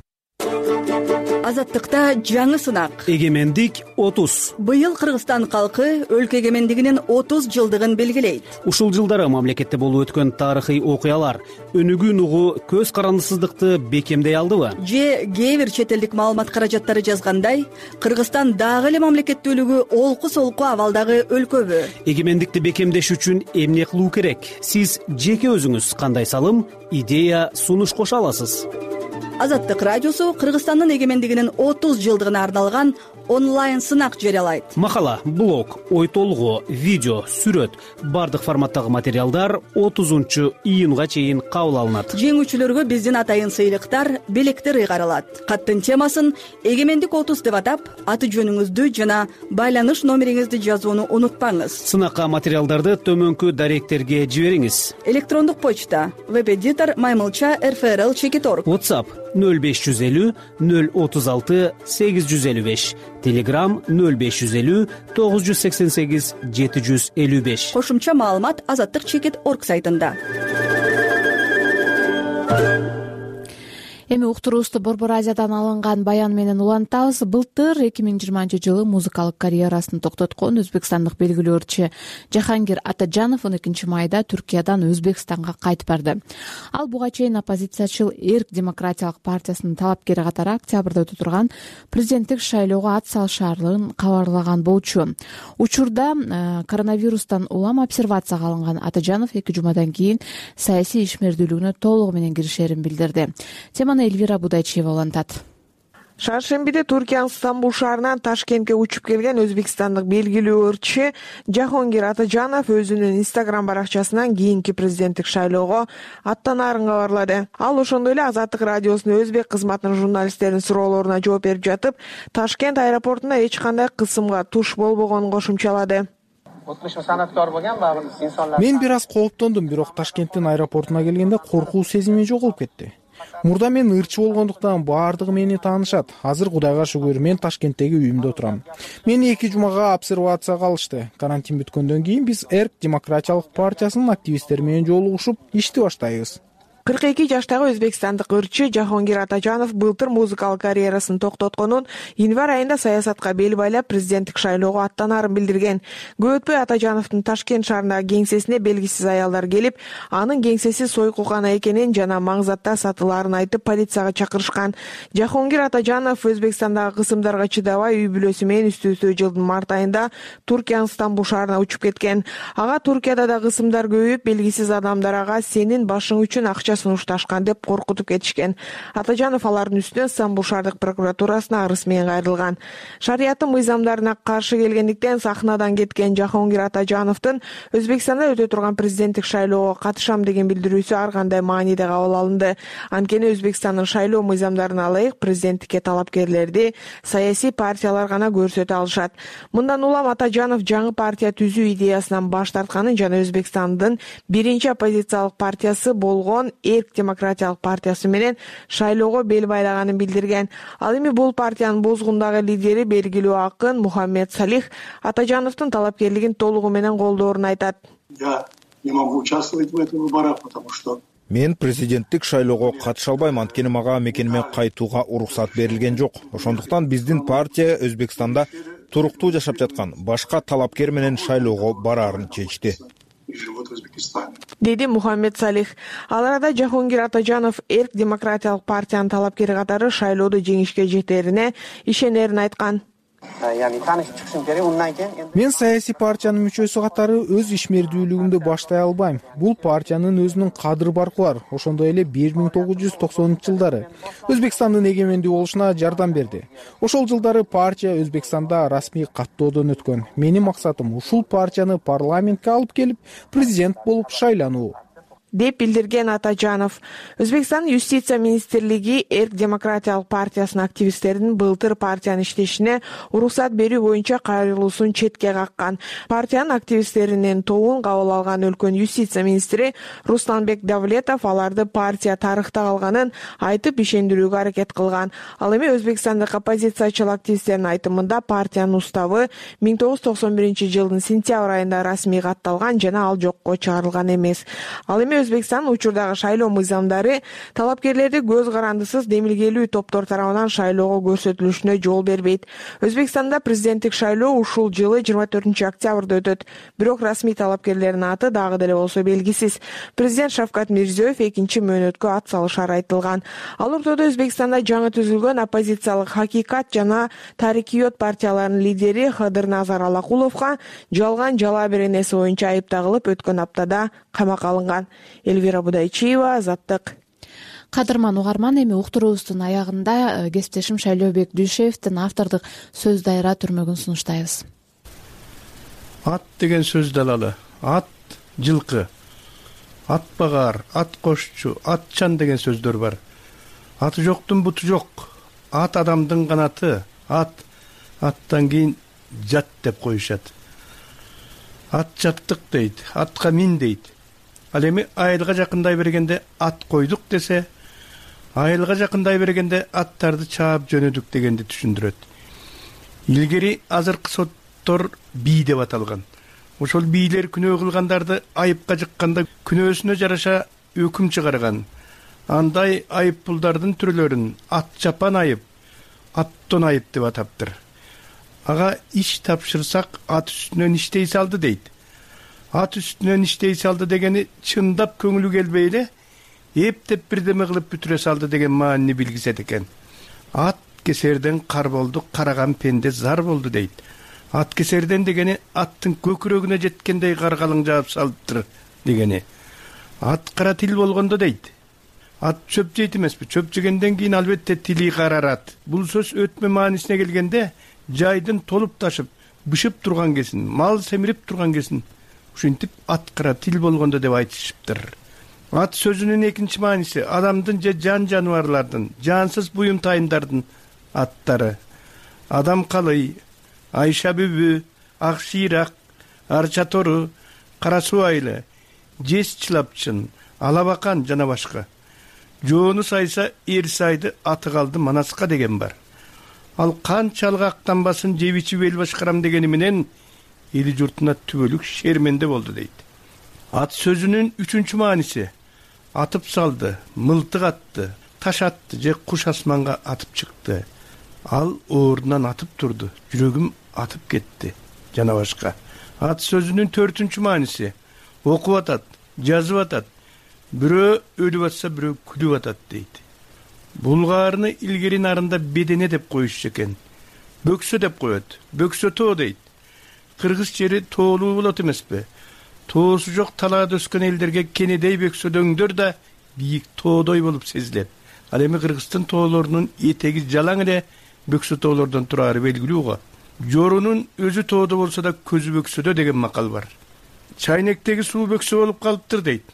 Азаттыкта жаңы сынак. Эгемендик отуз. Быйыл Кыргызстан калкы өлкө эгемендигинин отуз жылдыгын белгилейт. Ушул жылдары мамлекетте болуп өткөн тарыхый окуялар өнүгүүн угу көз карандысыздыкты бекемдей алдыбы? Же кээ бир чет элдик маалымат каражаттары жазгандай, Кыргызстан дагы эле мамлекеттүүлүгү олку-солку абалдагы өлкөбү? Эгемендикти бекемдеш үчүн эмне кылуу керек? Сиз жеке өзүңүз кандай салым, идея, сунуш кошо аласыз? Азаттык радиосу Кыргызстандын эгемендигинин отуз жылдыгына арналган онлайн сынак жарыялайт. Макала, блог, ой толгоо, видео, сүрөт, бардык форматтагы материалдар отузунчу июнга чейин кабыл алынат. Жеңүүчүлөргө биздин атайын сыйлыктар, белектер ыйгарылат. Каттын темасын эгемендик отуз деп атап, аты жөнүңүздү жана байланыш номериңизди жазууну унутпаңыз. Сынакка материалдарды төмөнкү даректерге жибериңиз. Электрондук почта: веб-эдитор маймылча эр эф эр эл чекит орг. WhatsApp нөл беш жүз элүү нөл отуз алты сегиз жүз элүү беш. Telegram нөл беш жүз элүү тогуз жүз сексен сегиз жети жүз элүү беш. Кошумча маалымат азаттык чекит орг сайтында. Эми уктуруубузду Борбор Азиядан алынган баян менен улантабыз. Былтыр эки миң жыйырманчы жылы музыкалык карьерасын токтоткон өзбекстандык белгилүү ырчы Жахангир Атажанов он экинчи майда Түркиядан Өзбекстанга кайтып барды. Ал буга чейин оппозициячыл Эрк демократиялык партиясынын талапкери катары октябрда өтө турган президенттик шайлоого ат салышаарын кабарлаган болчу. Учурда коронавирустан улам обсервацияга алынган Атажанов эки жумадан кийин саясий ишмердүүлүгүнө толугу менен киришерин билдирди. Теманы Эльвира Будайчиева улантат. Шаршембиде Туркиянын Стамбул шаарынан Ташкентке учуп келген өзбекстандык белгилүү ырчы Жахонгир Атажанов өзүнүн Instagram баракчасынан кийинки президенттик шайлоого аттанаарын кабарлады. Ал ошондой эле Азаттык радиосунун өзбек кызматынын журналисттеринин суроолоруна жооп берип жатып, Ташкент аэропортунда эч кандай кысымга туш болбогонун кошумчалады. Мен бир аз кооптондум, бирок Ташкенттин аэропортуна келгенде коркуу сезими жоголуп кетти. Мурда мен ырчы болгондуктан баардыгы мени таанышат. Азыр Кудайга шүгүр, мен Ташкенттеги үйүмдө отурам. Мени эки жумага обсервацияга алышты. Карантин бүткөндөн кийин биз Эрк демократиялык партиясынын активисттери менен жолугушуп ишти баштайбыз. кырк эки жаштагы өзбекстандык ырчы Жахонгир Атажанов былтыр музыкалык карьерасын токтотконун, январь айында саясатка бел байлап президенттик шайлоого аттанаарын билдирген. Көп өтпөй Атажановдун Ташкент шаарындагы кеңсесине белгисиз аялдар келип, анын кеңсеси сойкулган экенин жана маңзатта сатылаарын айтып полицияга чакырышкан. Жахонгир Атажанов Өзбекстандагы кысымдарга чыдабай үй бүлөсү менен үстү-үстү жылдын март айында Туркиянын Стамбул шаарына учуп кеткен. Ага Туркияда да кысымдар көбөйүп, белгисиз адамдар ага сенин башың үчүн акча сунушташкан деп коркутуп кетишкен. Атажанов алардын үстүнөн Стамбул шаардык прокуратурасына арыз менен кайрылган. Шарияттын мыйзамдарына каршы келгендиктен сахнадан кеткен Жахонгир Атажановдун Өзбекстанда өтө турган президенттик шайлоого катышам деген билдирүүсү ар кандай мааниде кабыл алынды. Анткени Өзбекстандын шайлоо мыйзамдарына ылайык президенттикке талапкерлерди саясий партиялар гана көрсөтө алышат. Мындан улам Атажанов жаңы партия түзүү идеясынан баш тартканын жана Өзбекстандын биринчи оппозициялык партиясы болгон Эрк демократиялык партиясы менен шайлоого бел байлаганын билдирген. Ал эми бул партиянын бозгундагы лидери белгилүү акын Мухаммед Салих Атажановдун талапкерлигин толугу менен колдоорун айтат. Я не могу участвовать в этих выборах, потому что Мен президенттик шайлоого катыша албайм, анткени мага мекениме кайтууга уруксат берилген жок. Ошондуктан биздин партия Өзбекстанда туруктуу жашап жаткан башка талапкер менен шайлоого бараарын чечти. Деди Мухаммед Салих. Ал арада Жахонгир Атажанов Эрк демократиялык партиянын талапкери катары шайлоодо жеңишке жетерине ишенерин айткан. мен саясий партиянын мүчөсү катары өз ишмердүүлүгүмдү баштай албайм. Бул партиянын өзүнүн кадыр баркы бар. Ошондой эле бир миң тогуз жүз токсонунчу жылдары Өзбекстандын эгемендүү болушуна жардам берди. Ошол жылдары партия Өзбекстанда расмий каттоодон өткөн. Менин максатым ушул партияны парламентке алып келип, президент болуп шайлануу, деп билдирген Атажанов. Өзбекстандын юстиция министрлиги Эрк демократиялык партиясынын активисттеринин былтыр партиянын иштешине уруксат берүү боюнча кайрылуусун четке каккан. Партиянын активисттеринин тобун кабыл алган өлкөнүн юстиция министри Русланбек Давлетов аларды партия тарыхта калганын айтып ишендирүүгө аракет кылган. Ал эми өзбекстандык оппозициячыл активисттердин айтымында партиянын уставы миң тогуз жүз токсон биринчи жылдын сентябрь айында расмий катталган жана ал жокко чыгарылган эмес. Ал эми Өзбекстан учурдагы шайлоо мыйзамдары талапкерлерди көз карандысыз демилгелүү топтор тарабынан шайлоого көрсөтүлүшүнө жол бербейт. Өзбекстанда президенттик шайлоо ушул жылы жыйырма төртүнчү октябрда өтөт. Бирок расмий талапкерлердин аты дагы деле болсо белгисиз. Президент Шавкат Мирзиёев экинчи мөөнөткө ат салышары айтылган. Ал ортодо Өзбекстанда жаңы түзүлгөн оппозициялык Хакикат жана Тарикиот партияларынын лидери Хадырназар Алакуловго жалган жала беренеси боюнча айып тагылып, өткөн аптада камакка алынган. Эльвира Будайчиева, Азаттык. Кадырман угарман, эми уктуруубуздун аягында кесиптешим Шайлообек Дүйшеевдин автордук сөз дайыра түрмөгүн сунуштайбыз. Ат деген сөз далалы. Ат жылкы, ат багар, ат кошчу, атчан деген сөздөр бар. Аты жоктун буту жок. Ат адамдын канаты. Ат аттан кийин жат деп коюшат. Ат жаттык дейт, атка мин дейт. Ал эми айылга жакындай бергенде ат койдук десе, айылга жакындай бергенде аттарды чаап жөнөдүк дегенди түшүндүрөт. Илгери азыркы соттор бий деп аталган. Ошол бийлер күнөө кылгандарды айыпка жыкканда күнөөсүнө жараша өкүм чыгарган. Андай айып пулдардын түрлөрүн ат чапан айып, аттон айып деп атаптыр. Ага иш тапшырсак ат үстүнөн иштей салды дейт. Ат үстүнөн иштей салды дегени чындап көңүлү келбей эле эптеп бирдеме кылып бүтүрө салды деген маанини билгизет экен. Ат кесерден кар болду, караган пенде зар болду дейт. Ат кесерден дегени аттын көкүрөгүнө жеткендей каргалың жаап салыптыр дегени. Ат кара тил болгондо дейт. Ат чөп жейт эмеспи? Чөп жегенден кийин албетте тили карарат. Бул сөз өтмө маанисине келгенде жайдын толуп ташып, бышып турган кесин, мал семирип турган кесин. Ушинтип ат кара тил болгондо деп айтышыптыр. Ат сөзүнүн экинчи мааниси адамдын же жан жаныбарлардын, жансыз буюмтайымдардын аттары. Адам калый, Айша бүбү, ак шыйрак, арча тору, кара суу айылы, жез чылапчын, алабакан жана башка. Жоону сайса эр сайды, аты калды манаска деген бар. Ал канчалык актанбасын жеп ичип эл башкарам дегени менен эли журтуна түбөлүк шерменде болду дейт. Ат сөзүнүн үчүнчү мааниси атып салды, мылтык атты, таш атты же куш асманга атып чыкты. Ал ордунан атып турду, жүрөгүм атып кетти жана башка. Ат сөзүнүн төртүнчү мааниси окуп атат, жазып атат. Бирөө өлүп атса, бирөө күлүп атат дейт. Булгаарыны илгери нарында бедене деп коюшчу экен. Бөксө деп коет. Бөксө тоо дейт. Кыргыз жери тоолуу болот эмеспи? Тоосу жок талаада өскөн элдерге кенедей бөксөдөңдөр да бийик тоодой болуп сезилет. Ал эми Кыргыздын тоолорунун этеги жалаң эле бөксө тоолордон турары белгилүү го. Жорунун өзү тоодо болсо да көзү бөксөдө деген макал бар. Чайнектеги суу бөксө болуп калыптыр дейт.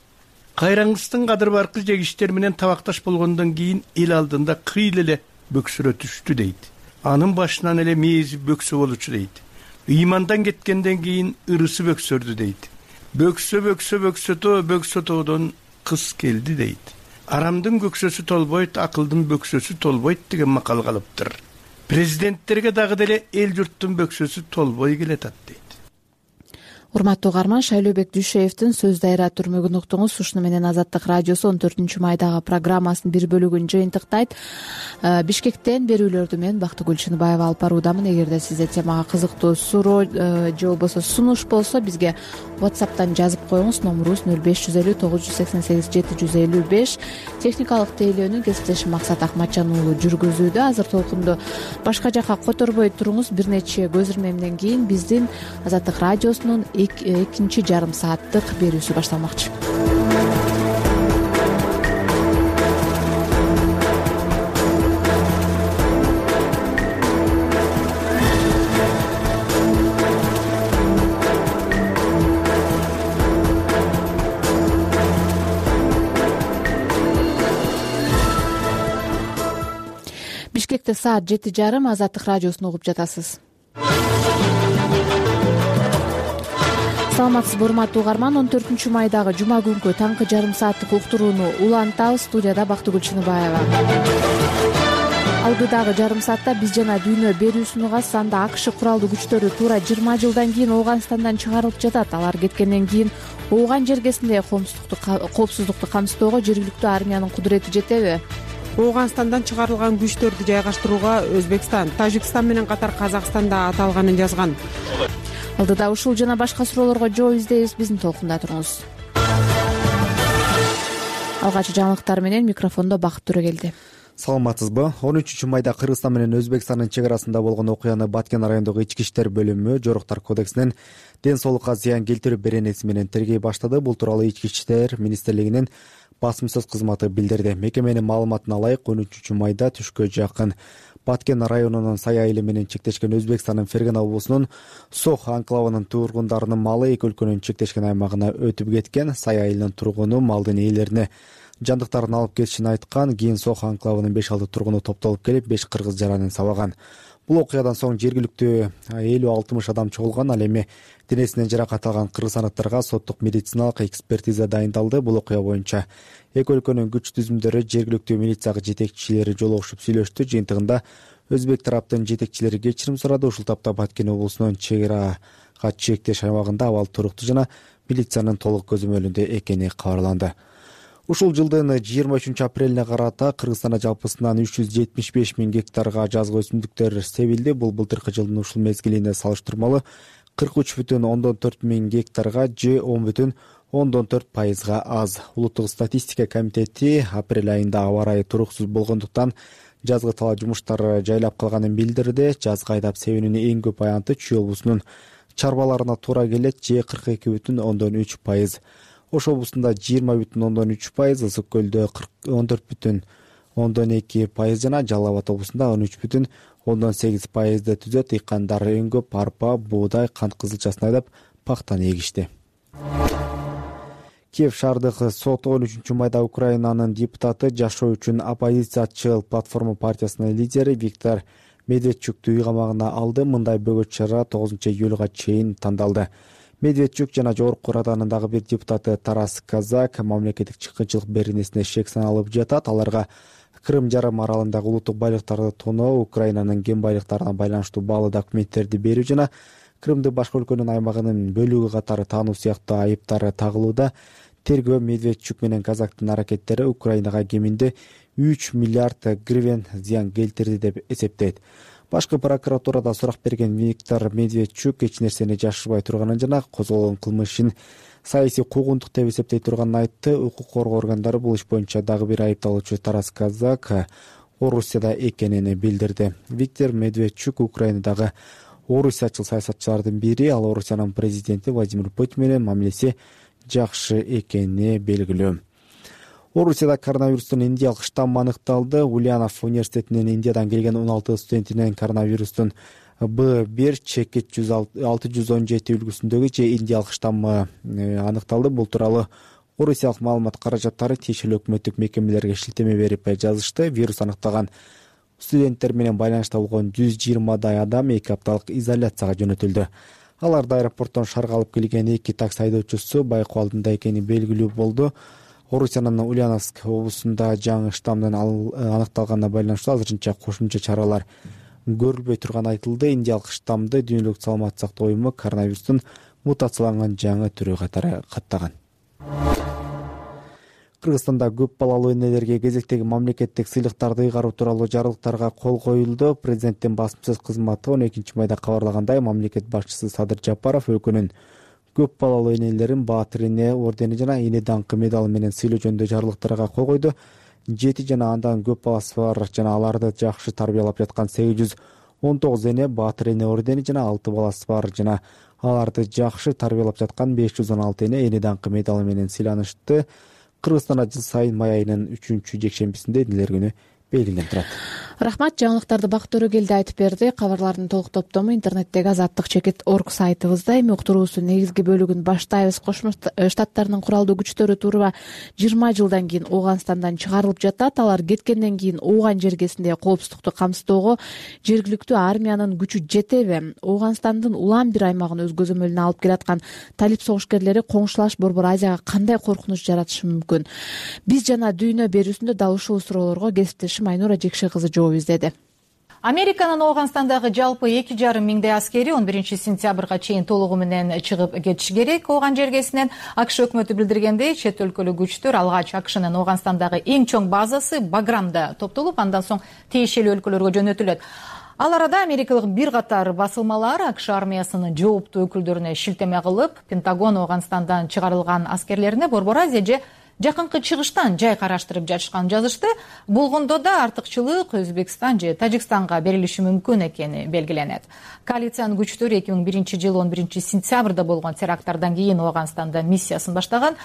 Кайраңгыстын кадыр баркы жегиштер менен табакташ болгондон кийин эл алдында кыйыл эле бөксөрө түштү дейт. Анын башынан эле мээзи бөксө болчу дейт. Ыймандан кеткенден кийин ырысы бөксөрдү дейт. Бөксө бөксө бөксөтө бөксө тоодон кыз келди дейт. Арамдын көксөсү толбойт, акылдын бөксөсү толбойт деген макал калыптыр. Президенттерге дагы деле эл журттун бөксөсү толбой келатат дейт. Урматтуу угарман, Шайлообек Дүйшеевдин сөз дайра түрмөгүн уктуңуз. Ушуну менен Азаттык радиосу он төртүнчү майдагы программасынын бир бөлүгүн жыйынтыктайт. Бишкектен берүүлөрдү мен Бактыгүл Чыныбаева алып баруудамын. Эгерде сизде темага кызыктуу суроо же болбосо сунуш болсо, бизге WhatsApp'тан жазып коюңуз. Номурубуз нөл беш жүз элүү тогуз жүз сексен сегиз жети жүз элүү беш. Техникалык тейлөөнү кесиптешим Максат Акматжан уулу жүргүзүүдө. Азыр толкунду башка жака которбой туруңуз. Бир нече көз ирмемден кийин биздин Азаттык радиосунун экинчи жарым сааттык берүүсү башталмакчы. Бишкекте саат жети жарым. Азаттык радиосун угуп жатасыз. Саламатсызбы, урматтуу угарман. он төртүнчү майдагы жума күнкү таңкы жарым сааттык уктурууну улантабыз. Студияда Бактыгүл Чыныбаева. Алгыдагы жарым саатта биз жана дүйнө берүүсүн угасыз. Анда АКШ куралдуу күчтөрү туура жыйырма жылдан кийин Ооганстандан чыгарылып жатат. Алар кеткенден кийин Ооган жергесинде коопсуздукту камсыздоого жергиликтүү армиянын кудурети жетеби? Ооганстандан чыгарылган күчтөрдү жайгаштырууга Өзбекстан, Тажикстан менен катар Казакстан да аталганын жазган. Алдыда ушул жана башка суроолорго жооп издейбиз. Биздин толкунда туруңуз. Алгачкы жаңылыктар менен микрофондо Бакыт Төрөгелди. Саламатсызбы? он үчүнчү майда Кыргызстан менен Өзбекстандын чек арасында болгон окуяны Баткен районундагы ички иштер бөлүмү жоруктар кодексинен ден соолукка зыян келтирүү беренеси менен тергей баштады. Бул тууралуу Ички иштер министрлигинин басым сөз кызматы билдирди. Мекеменин маалыматына ылайык он үчүнчү майда түшкө жакын Баткен районунун Сай айылы менен чектешкен Өзбекстандын Фергана облусунун Сох анклавынын тургундарынын малы эки өлкөнүн чектешкен аймагына өтүп кеткен. Сай айылынын тургуну малдын ээлерине жандыктарын алып кетишин айткан. Кийин Сох анклавынын беш алты тургуну топтолуп келип беш кыргыз жаранын сабаган. Бул окуядан соң жергиликтүү элүү алтымыш адам чогулган. Ал эми денесинен жаракат алган кыргызстандыктарга соттук медициналык экспертиза дайындалды. Бул окуя боюнча эки өлкөнүн күч түзүмдөрү, жергиликтүү милиция жетекчилери жолугушуп сүйлөштү. Жыйынтыгында өзбек тараптын жетекчилери кечирим сурады. Ушул тапта Баткен облусунун чек арага чектеш аймагында абал туруктуу жана милициянын толук көзөмөлүндө экени кабарланды. Ушул жылдын жыйырма үчүнчү апрелине карата Кыргызстанда жалпысынан үч жүз жетимиш беш миң гектарга жазгы өсүмдүктөр себилди. Бул былтыркы жылдын ушул мезгилине салыштырмалуу кырк үч бүтүн ондон төрт миң гектарга же он бүтүн ондон төрт пайызга аз. Улуттук статистика комитети апрель айында аба ырайы туруксуз болгондуктан жазгы талаа жумуштары жайлап калганын билдирди. Жазгы айдап себүүнүн эң көп аянты Чүй облусунун чарбаларына туура келет, же кырк эки бүтүн ондон үч пайыз. Ош облусунда жыйырма бүтүн ондон үч пайыз, Ысык көлдө он төрт бүтүн ондон эки пайыз жана Жалал Абад облусунда он үч бүтүн ондон сегиз пайызды түзөт. Ыйкандар эң көп арпа, буудай, кант кызылчасын айдап пактаны эгишти. Киев шаардык соту он үчүнчү майда Украинанын депутаты, жашоо үчүн оппозициячыл платформа партиясынын лидери Виктор Медведчукту үй камагына алды. Мындай бөгөт чара тогузунчу июлга чейин тандалды. Медведчук жана жогорку раданын дагы бир депутаты Тарас Казак мамлекеттик чыккынчылык беренесине шек саналып жатат. Аларга Крым жарым аралындагы улуттук байлыктарды тоноо, Украинанын кен байлыктарына байланыштуу баалуу документтерди берүү жана Крымды башка өлкөнүн аймагынын бөлүгү катары таануу сыяктуу айыптары тагылууда. Тергөө Медведчук менен Казактын аракеттери Украинага кеминде үч миллиард гривен зыян келтирди деп эсептейт. Башкы прокуратурада сурак берген Виктор Медведчук эч нерсени жашырбай турганын жана козголгон кылмышын саясий куугунтук деп эсептей турганын айтты. Укук коргоо органдары бул иш боюнча дагы бир айыпталуучу Тарас Казак Орусияда экенин билдирди. Виктор Медведчук Украинадагы орусиячыл саясатчылардын бири. Ал Орусиянын президенти Владимир Путин менен мамилеси жакшы экени белгилүү. Орусияда коронавирустун индиялык штаммы аныкталды. Ульянов университетинин Индиядан келген он алты студентинен коронавирустун Б бир чекит алты жүз он жети үлгүсүндөгү же индиялык штаммы аныкталды. Бул тууралуу Орусиялык маалымат каражаттары тиешелүү өкмөттүк мекемелерге шилтеме берип жазышты. Вирус аныкталган студенттер менен байланышта болгон жүз жыйырмадай адам эки апталык изоляцияга жөнөтүлдү. Аларда аэропорттон шаарга алып келген эки такси айдоочусу байкоо алдында экени белгилүү болду. Орусиянын Ульяновск облусунда жаңы штаммдын аныкталганына байланыштуу азырынча кошумча чаралар көрүлбөй турганы айтылды. Индиялык штаммды Дүйнөлүк саламаттык сактоо уюму коронавирустун мутацияланган жаңы түрү катары каттаган. Кыргызстанда көп балалуу энелерге кезектеги мамлекеттик сыйлыктарды ыйгаруу тууралуу жарлыктарга кол коюлду. Президенттин басым сөз кызматы он экинчи майда кабарлагандай, мамлекет башчысы Садыр Жапаров өлкөнүн көп балалуу энелерин Баатыр эне ордени жана эне даңкы медалы менен сыйлоо жөнүндө жарлыктарга кол койду. Жети жана андан көп баласы бар жана аларды жакшы тарбиялап жаткан сегиз жүз он тогуз эне Баатыр эне ордени жана алты баласы бар жана аларды жакшы тарбиялап жаткан беш жүз он алты эне эне даңкы медалы менен сыйланышты. Кыргызстанда жыл сайын май айынын үчүнчү жекшембисинде энелер күнү белгиленип турат. Рахмат, жаңылыктарды Бакыт Төрөгелди айтып берди. Кабарлардын толук топтому интернеттеги азаттык чекит орг сайтыбызда. Эми уктуруубуздун негизги бөлүгүн баштайбыз. Кошмо Штаттардын куралдуу күчтөрү туура жыйырма жылдан кийин Ооганстандан чыгарылып жатат. Алар кеткенден кийин Ооган жергесинде коопсуздукту камсыздоого жергиликтүү армиянын күчү жетеби? Ооганстандын улам бир аймагын өз көзөмөлүнө алып келаткан талип согушкерлери коңшулаш Борбор Азияга кандай коркунуч жаратышы мүмкүн? Биз жана дүйнө берүүсүндө дал ушул суроолорго кесиптешим Айнура Жекше кызы жооп издеди. Американын Ооганстандагы жалпы эки жарым миңдей аскери он биринчи сентябрга чейин толугу менен чыгып кетиши керек. Ооган жергесинен АКШ өкмөтү билдиргендей, чет өлкөлүк күчтөр алгач АКШнын Ооганстандагы эң чоң базасы Баграмда топтолуп, андан соң тиешелүү өлкөлөргө жөнөтүлөт. Ал арада америкалык бир катар басылмалар АКШ армиясынын жооптуу өкүлдөрүнө шилтеме кылып, Пентагон Ооганстандан чыгарылган аскерлерине Борбор Азия же жакынкы чыгыштан жай караштырып жатышканын жазышты. Болгондо да артыкчылык Өзбекстан же Тажикстанга берилиши мүмкүн экени белгиленет. Коалициянын күчтөрү эки миң биринчи жылы он биринчи сентябрда болгон теракттардан кийин Ооганстанда миссиясын баштаган.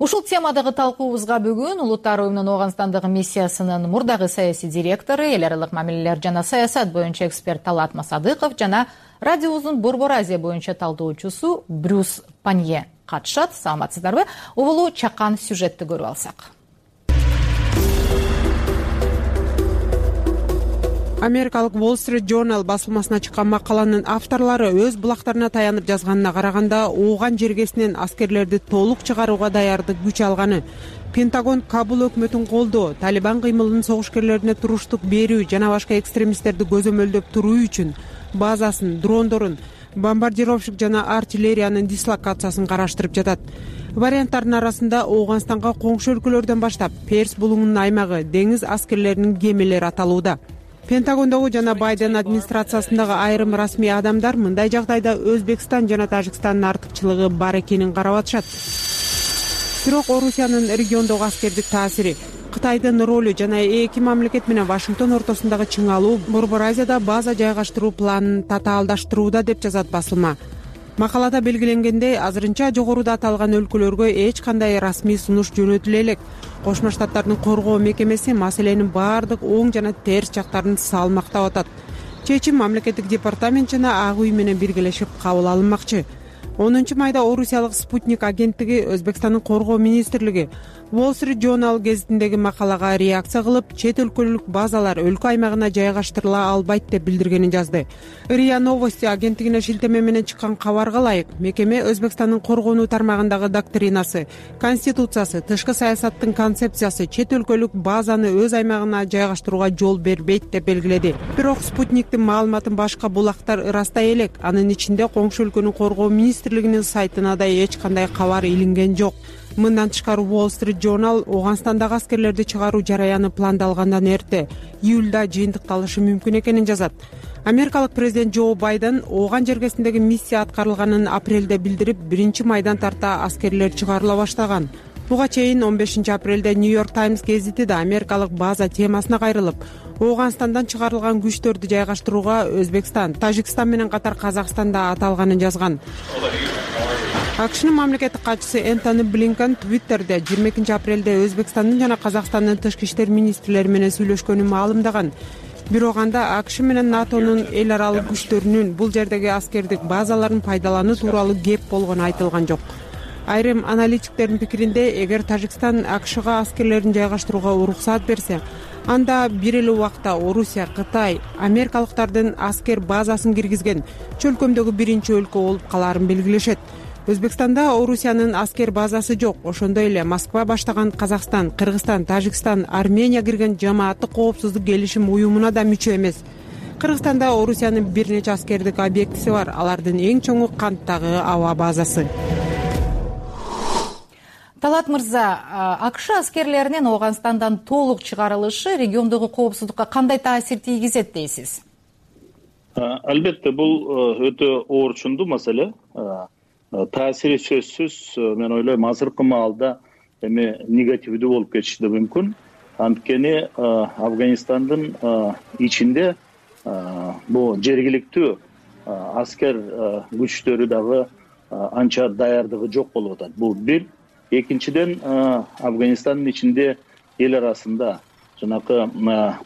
Ушул темадагы талкуубузга бүгүн Улуттар уюмунун Ооганстандагы миссиясынын мурдагы саясий директору, эл аралык мамилелер жана саясат боюнча эксперт Талат Масадыков жана радиобуздун Борбор Азия боюнча талдоочусу Брюс Панье катышат. Саламатсыздарбы? Обулу чакан сюжетти көрүп алсак. Америкалык Wall Street Journal басылмасына чыккан макаланын авторлору өз булактарына таянып жазганына караганда, Ооган жергесинен аскерлерди толук чыгарууга даярдык күч алганы, Пентагон Кабул өкмөтүн колдоо, Талибан кыймылынын согушкерлерине туруштук берүү жана башка экстремисттерди көзөмөлдөп туруу үчүн базасын, дрондорун, бомбардировщик жана артиллериянын дислокациясын караштырып жатат. Варианттардын арасында Ооганстанга коңшу өлкөлөрдөн баштап Перс булуңунун аймагы, деңиз аскерлеринин кемелери аталууда. Пентагондогу жана Байден администрациясындагы айрым расмий адамдар мындай жагдайда Өзбекстан жана Тажикстандын артыкчылыгы бар экенин карап атышат. Бирок Орусиянын региондогу аскердик таасири, Кытайдын ролу жана эки мамлекет менен Вашингтон ортосундагы чыңалуу Борбор Азияда база жайгаштыруу планын татаалдаштырууда деп жазат басылма. Макалада белгиленгендей, азырынча жогоруда аталган өлкөлөргө эч кандай расмий сунуш жөнөтүлө элек. Кошмо Штаттардын коргоо мекемеси маселенин баардык оң жана терс жактарын салмактап атат. Чечим мамлекеттик департамент жана Ак үй менен биргелешип кабыл алынмакчы. онунчу майда Орусиялык Спутник агенттиги, Өзбекстандын коргоо министрлиги Wall Street Journal гезитиндеги макалага реакция кылып, чет өлкөлүк базалар өлкө аймагына жайгаштырыла албайт деп билдиргенин жазды. РИА Новости агенттигине шилтеме менен чыккан кабарга ылайык, мекеме Өзбекстандын коргонуу тармагындагы доктринасы, конституциясы, тышкы саясаттын концепциясы чет өлкөлүк базаны өз аймагына жайгаштырууга жол бербейт деп белгиледи. Бирок Спутниктин маалыматын башка булактар ырастай элек. Анын ичинде коңшу өлкөнүн коргоо министрлигинин сайтына да эч кандай кабар илинген жок. Мындан тышкары Wall Street Journal Ооганстандагы аскерлерди чыгаруу жараяны пландалгандан эрте, июлда жыйынтыкталышы мүмкүн экенин жазат. Америкалык президент Джо Байден Ооган жергесиндеги миссия аткарылганын апрелде билдирип, биринчи майдан тарта аскерлер чыгарыла баштаган. Буга чейин он бешинчи апрелде Нью-Йорк Таймс гезити да Америкалык база темасына кайрылып, Ооганстандан чыгарылган күчтөрдү жайгаштырууга Өзбекстан, Тажикстан менен катар Казакстан да аталганын жазган. АКШнын мамлекеттик катчысы Энтони Блинкен Твиттерде жыйырма экинчи апрелде Өзбекстандын жана Казакстандын тышкы иштер министрлери менен сүйлөшкөнүн маалымдаган. Бирок анда АКШ менен НАТОнун эл аралык күчтөрүнүн бул жердеги аскердик базаларын пайдалануу тууралуу кеп болгону айтылган жок. Айрым аналитиктердин пикиринде, эгер Тажикстан АКШга аскерлерин жайгаштырууга уруксаат берсе, анда бир эле убакта Орусия, Кытай, америкалыктардын аскер базасын киргизген чөлкөмдөгү биринчи өлкө болуп калаарын белгилешет. Өзбекстанда Орусиянын аскер базасы жок. Ошондой эле Москва баштаган Казакстан, Кыргызстан, Тажикстан, Армения кирген жамааттык коопсуздук келишим уюмуна да мүчө эмес. Кыргызстанда Орусиянын бир нече аскердик объектиси бар. Алардын эң чоңу Канттагы аба базасы. Талат мырза, АКШ аскерлеринин Ооганстандан толук чыгарылышы региондогу коопсуздукка кандай таасир тийгизет дейсиз? Албетте, бул өтө оорчундуу маселе. Таасири сөзсүз, мен ойлойм, азыркы маалда эми негативдүү болуп кетиши да мүмкүн. Анткени Афганистандын ичинде бул жергиликтүү аскер күчтөрү дагы анча даярдыгы жок болуп атат. Бул бир. Экинчиден, Афганистандын ичинде эл арасында жанакы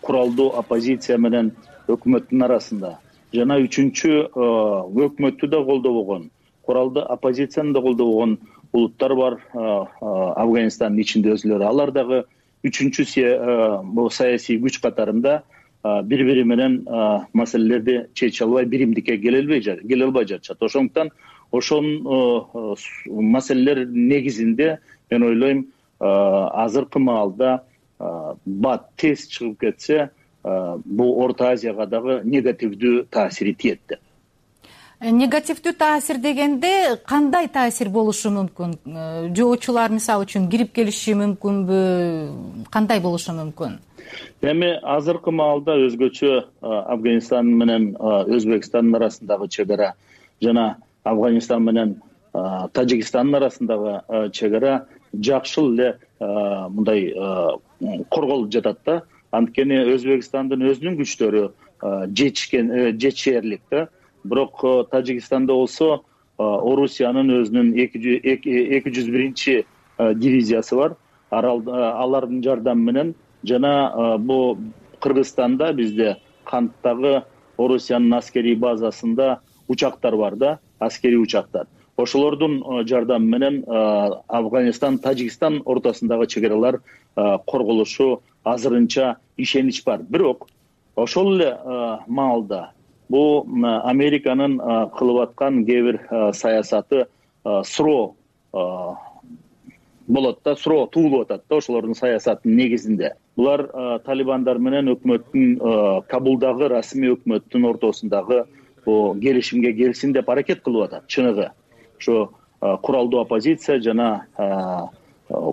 куралдуу оппозиция менен өкмөттүн арасында жана үчүнчү өкмөттү да колдобогон, куралдуу оппозицияны да колдобогон улуттар бар Афганистандын ичинде өзүлөрү. Алар дагы үчүнчү бул саясий күч катарында бири-бири менен маселелерди чече албай, биримдикке келе албай жатышат. Ошондуктан ошон маселелер негизинде мен ойлойм, азыркы маалда бат тез чыгып кетсе, бул Орто Азияга дагы негативдүү таасири тиет деп. Негативдүү таасир дегенде кандай таасир болушу мүмкүн? Жоочулар мисалы үчүн кирип келиши мүмкүнбү? Кандай болушу мүмкүн? Эми азыркы маалда өзгөчө Афганистан менен Өзбекстандын арасындагы чек ара жана Афганистан менен Тажикстандын арасындагы чек ара жакшы эле мындай корголуп жатат да. Анткени Өзбекстандын өзүнүн күчтөрү жетишкен, жетишерлик да. Бирок Тажикстанда болсо Орусиянын өзүнүн эки жүз биринчи дивизиясы бар. Алардын жардамы менен жана бул Кыргызстанда бизде Канттагы Орусиянын аскерий базасында учактар бар да, аскерий учактар. Ошолордун жардамы менен Афганистан, Тажикстан ортосундагы чек аралар корголушу азырынча ишенич бар. Бирок ошол эле маалда бул Американын кылып аткан кээ бир саясаты суроо болот да, суроо туулуп атат да ошолордун саясатынын негизинде. Булар талибандар менен өкмөттүн, Кабулдагы расмий өкмөттүн ортосундагы бул келишимге келсин деп аракет кылып атат. Чыныгы ошо куралдуу оппозиция жана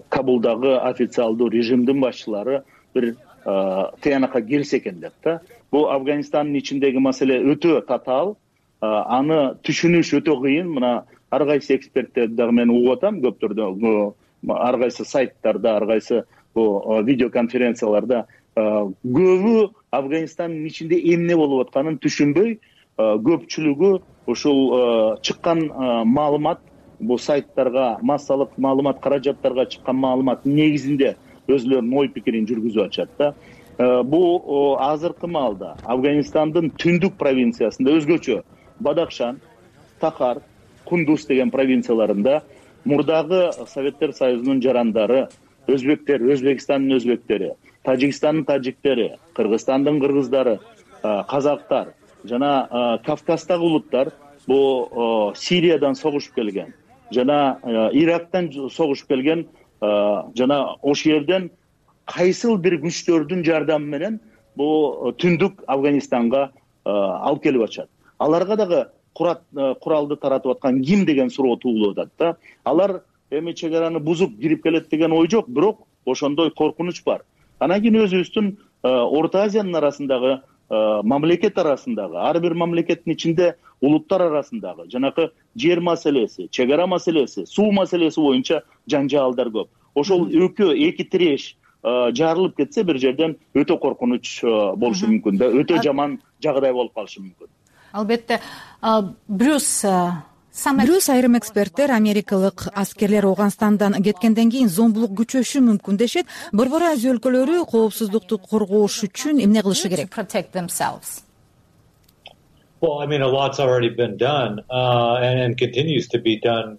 Кабулдагы официалдуу режимдин башчылары бир тыянакка келсе экен деп да. Бул Афганистандын ичиндеги маселе өтө татаал, аны түшүнүш өтө кыйын. Мына ар кайсы эксперттерди дагы мен угуп атам, көптөрдө ар кайсы сайттарда, ар кайсы бул видеоконференцияларда көбү Афганистандын ичинде эмне болуп атканын түшүнбөй, көпчүлүгү ушул чыккан маалымат, бул сайттарга, массалык маалымат каражаттарга чыккан маалымат негизинде өзүлөрүнүн ой пикирин жүргүзүп атышат да. Бул азыркы маалда Афганистандын түндүк провинциясында өзгөчө Бадахшан, Тахар, Кундуз деген провинцияларында мурдагы Советтер Союзунун жарандары, өзбектер, Өзбекстандын өзбектери, Тажикстандын тажиктери, Кыргызстандын кыргыздары, казактар жана Кавказдагы улуттар бул Сириядан согушуп келген жана Ирактан согушуп келген жана ошол жерден кайсыл бир күчтөрдүн жардамы менен бул түндүк Афганистанга алып келип атышат. Аларга дагы куралды таратып аткан ким деген суроо туулуп атат да. Алар эми чек араны бузуп кирип келет деген ой жок, бирок ошондой коркунуч бар. Анан кийин өзүбүздүн Орто Азиянын арасындагы, мамлекет арасындагы, ар бир мамлекеттин ичинде улуттар арасындагы жанакы жер маселеси, чек ара маселеси, суу маселеси боюнча жаңжаалдар көп. Ошол экөө эки тиреш жарылып кетсе бир жерден өтө коркунуч болушу мүмкүн да, өтө жаман жагдай болуп калышы мүмкүн. Албетте, Брюс Брюс айрым эксперттер америкалык аскерлер Ооганстандан кеткенден кийин зомбулук күчөшү мүмкүн дешет. Борбор Азия өлкөлөрү коопсуздукту коргоош үчүн эмне кылышы керек?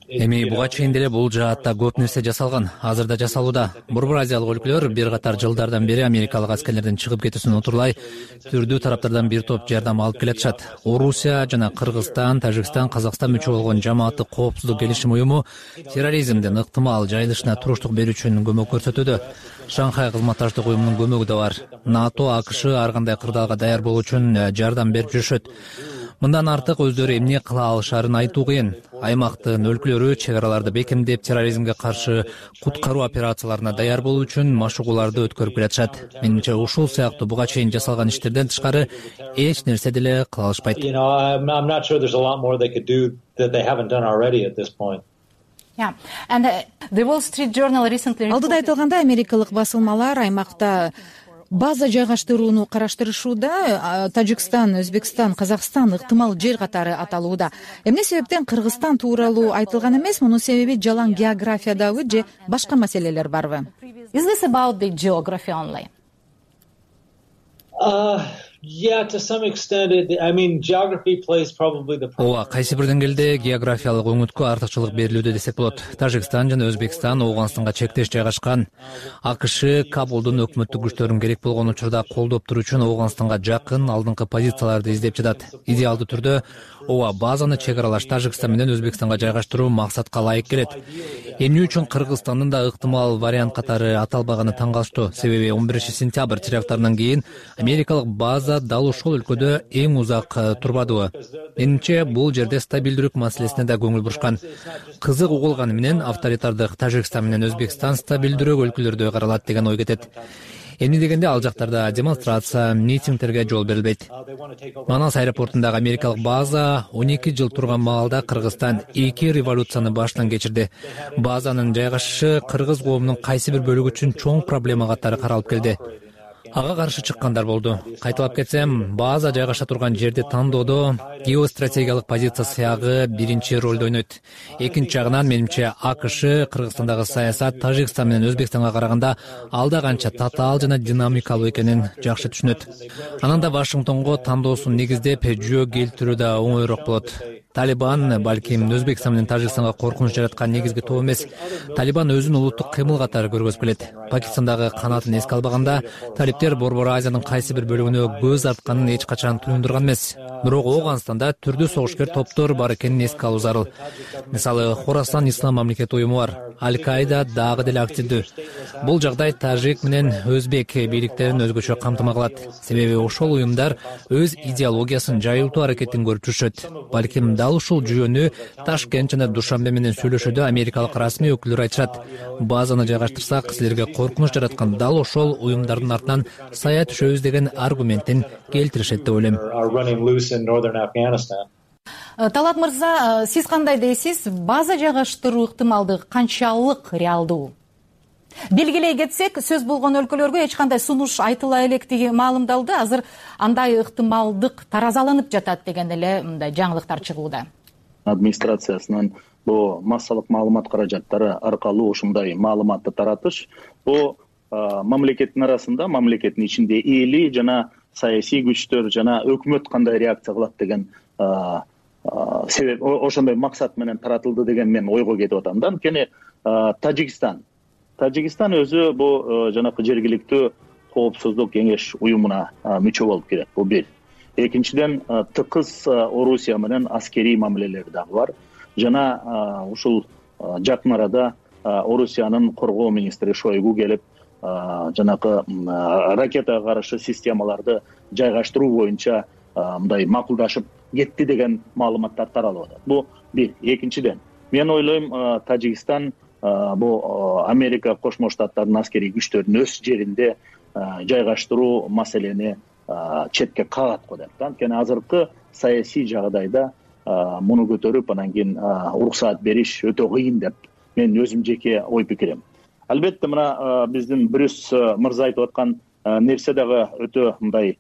Эми буга чейин деле бул жаатта көп нерсе жасалган, азыр да жасалууда. Борбор Азиялык өлкөлөр бир катар жылдардан бери америкалык аскерлердин чыгып кетүүсүн отурлай түрдүү тараптардан бир топ жардам алып келатышат. Орусия жана Кыргызстан, Тажикстан, Казакстан мүчө болгон жамааттык коопсуздук келишим уюму терроризмдин ыктымал жайылышына туруштук берүү үчүн көмөк көрсөтүүдө. Шанхай кызматташтык уюмунун көмөгү да бар. НАТО, АКШ ар кандай кырдаалга даяр болуу үчүн жардам берип жүрүшөт. Мындан артык өздөрү эмне кыла алышаарын айтуу кыйын. Аймактын өлкөлөрү чек араларды бекемдеп, терроризмге каршы куткаруу операцияларына даяр болуу үчүн машыгууларды өткөрүп келатышат. Менимче ушул сыяктуу буга чейин жасалган иштерден тышкары эч нерсе деле кыла алышпайт. Алдыда айтылгандай, америкалык басылмалар аймакта база жайгаштырууну караштырышууда. Тажикстан, Өзбекстан, Казакстан ыктымал жер катары аталууда. Эмне себептен Кыргызстан тууралуу айтылган эмес? Мунун себеби жалаң географиядабы же башка маселелер барбы? Is this about the geography only? Uh, yeah, to some extent, it, I mean, geography plays probably the. Ооба, кайсы бир деңгээлде географиялык өңүткө артыкчылык берилүүдө десек болот. Тажикстан жана Өзбекстан Ооганстанга чектеш жайгашкан. АКШ Кабулдун өкмөттүк күчтөрүн керек болгон учурда колдоп туруу үчүн Ооганстанга жакын алдыңкы позицияларды издеп жатат. Идеалдуу түрдө ооба базаны чек аралаш Тажикстан менен Өзбекстанга жайгаштыруу максатка ылайык келет. Эмне үчүн Кыргызстандын да ыктымал вариант катары аталбаганы таң калыштуу. Себеби он биринчи сентябрь теракттарынан кийин америкалык база дал ушул өлкөдө эң узак турбадыбы. Менимче бул жерде стабилдүүлүк маселесине да көңүл бурушкан. Кызык угулганы менен авторитардык Тажикстан менен Өзбекстан стабилдүүрөөк өлкөлөрдө каралат деген ой кетет. Эмне дегенде ал жактарда демонстрация, митингтерге жол берилбейт. Манас аэропортундагы америкалык база он эки жыл турган маалда Кыргызстан эки революцияны баштан кечирди. Базанын жайгашышы кыргыз коомунун кайсы бир бөлүгү үчүн чоң проблема катары каралып келди. Ага каршы чыккандар болду. Кайталап кетсем, база жайгаша турган жерди тандоодо геостратегиялык позиция сыягы биринчи ролду ойнойт. Экинчи жагынан менимче АКШ Кыргызстандагы саясат Тажикстан менен Өзбекстанга караганда алда канча татаал жана динамикалуу экенин жакшы түшүнөт. Анан да Вашингтонго тандоосун негиздеп жөө келтирүү да оңоюраак болот. Талибан балким Өзбекстан менен Тажикстанга коркунуч жараткан негизги топ эмес. Талибан өзүн улуттук кыймыл катары көргөзүп келет. Пакистандагы канатын эске албаганда, талиптер Борбор Азиянын кайсы бир бөлүгүнө көз артканын эч качан туюндурган эмес. Бирок Ооганстанда түрдүү согушкер топтор бар экенин эске алуу зарыл. Мисалы, Хорасан Ислам мамлекети уюму бар. Аль-Каида дагы деле активдүү. Бул жагдай тажик менен өзбек бийликтерин өзгөчө камтыма кылат. Себеби ошол уюмдар өз идеологиясын жайылтуу аракетин көрүп жүрүшөт. Балким дал ушул жүйөнү Ташкент жана Душанбе менен сүйлөшүүдө америкалык расмий өкүлдөр айтышат. Базаны жайгаштырсак, силерге коркунуч жараткан дал ошол уюмдардын артынан сая түшөбүз деген аргументин келтиришет деп ойлойм. Талат мырза, сиз кандай дейсиз? База жайгаштыруу ыктымалдыгы канчалык реалдуу? Белгилей кетсек, сөз болгон өлкөлөргө эч кандай сунуш айтыла электиги маалымдалды. Азыр андай ыктымалдык таразаланып жатат деген эле мындай жаңылыктар чыгууда. Администрациясынын бул массалык маалымат каражаттары аркылуу ушундай маалыматты таратыш бул мамлекеттин арасында, мамлекеттин ичинде эли жана саясий күчтөр жана өкмөт кандай реакция кылат деген себеп ошондой максат менен таратылды деген мен ойго кетип атам да. Анткени Тажикстан Тажикстан өзү бул жанакы жергиликтүү коопсуздук кеңеш уюмуна мүчө болуп келет. Бул бир. Экинчиден, тыкыз Орусия менен аскерий мамилелери дагы бар. Жана ушул жакын арада Орусиянын коргоо министри Шойгу келип, жанакы ракетага каршы системаларды жайгаштыруу боюнча мындай макулдашып кетти деген маалыматтар таралып атат. Бул бир. Экинчиден, мен ойлойм, Тажикстан бул Америка Кошмо Штаттарынын аскерий күчтөрүн өз жеринде жайгаштыруу маселени четке кагат го деп. Анткени азыркы саясий жагдайда муну көтөрүп, анан кийин уруксаат бериш өтө кыйын деп мен өзүм жеке ой пикирим. Албетте мына биздин Брюс мырза айтып аткан нерсе дагы өтө мындай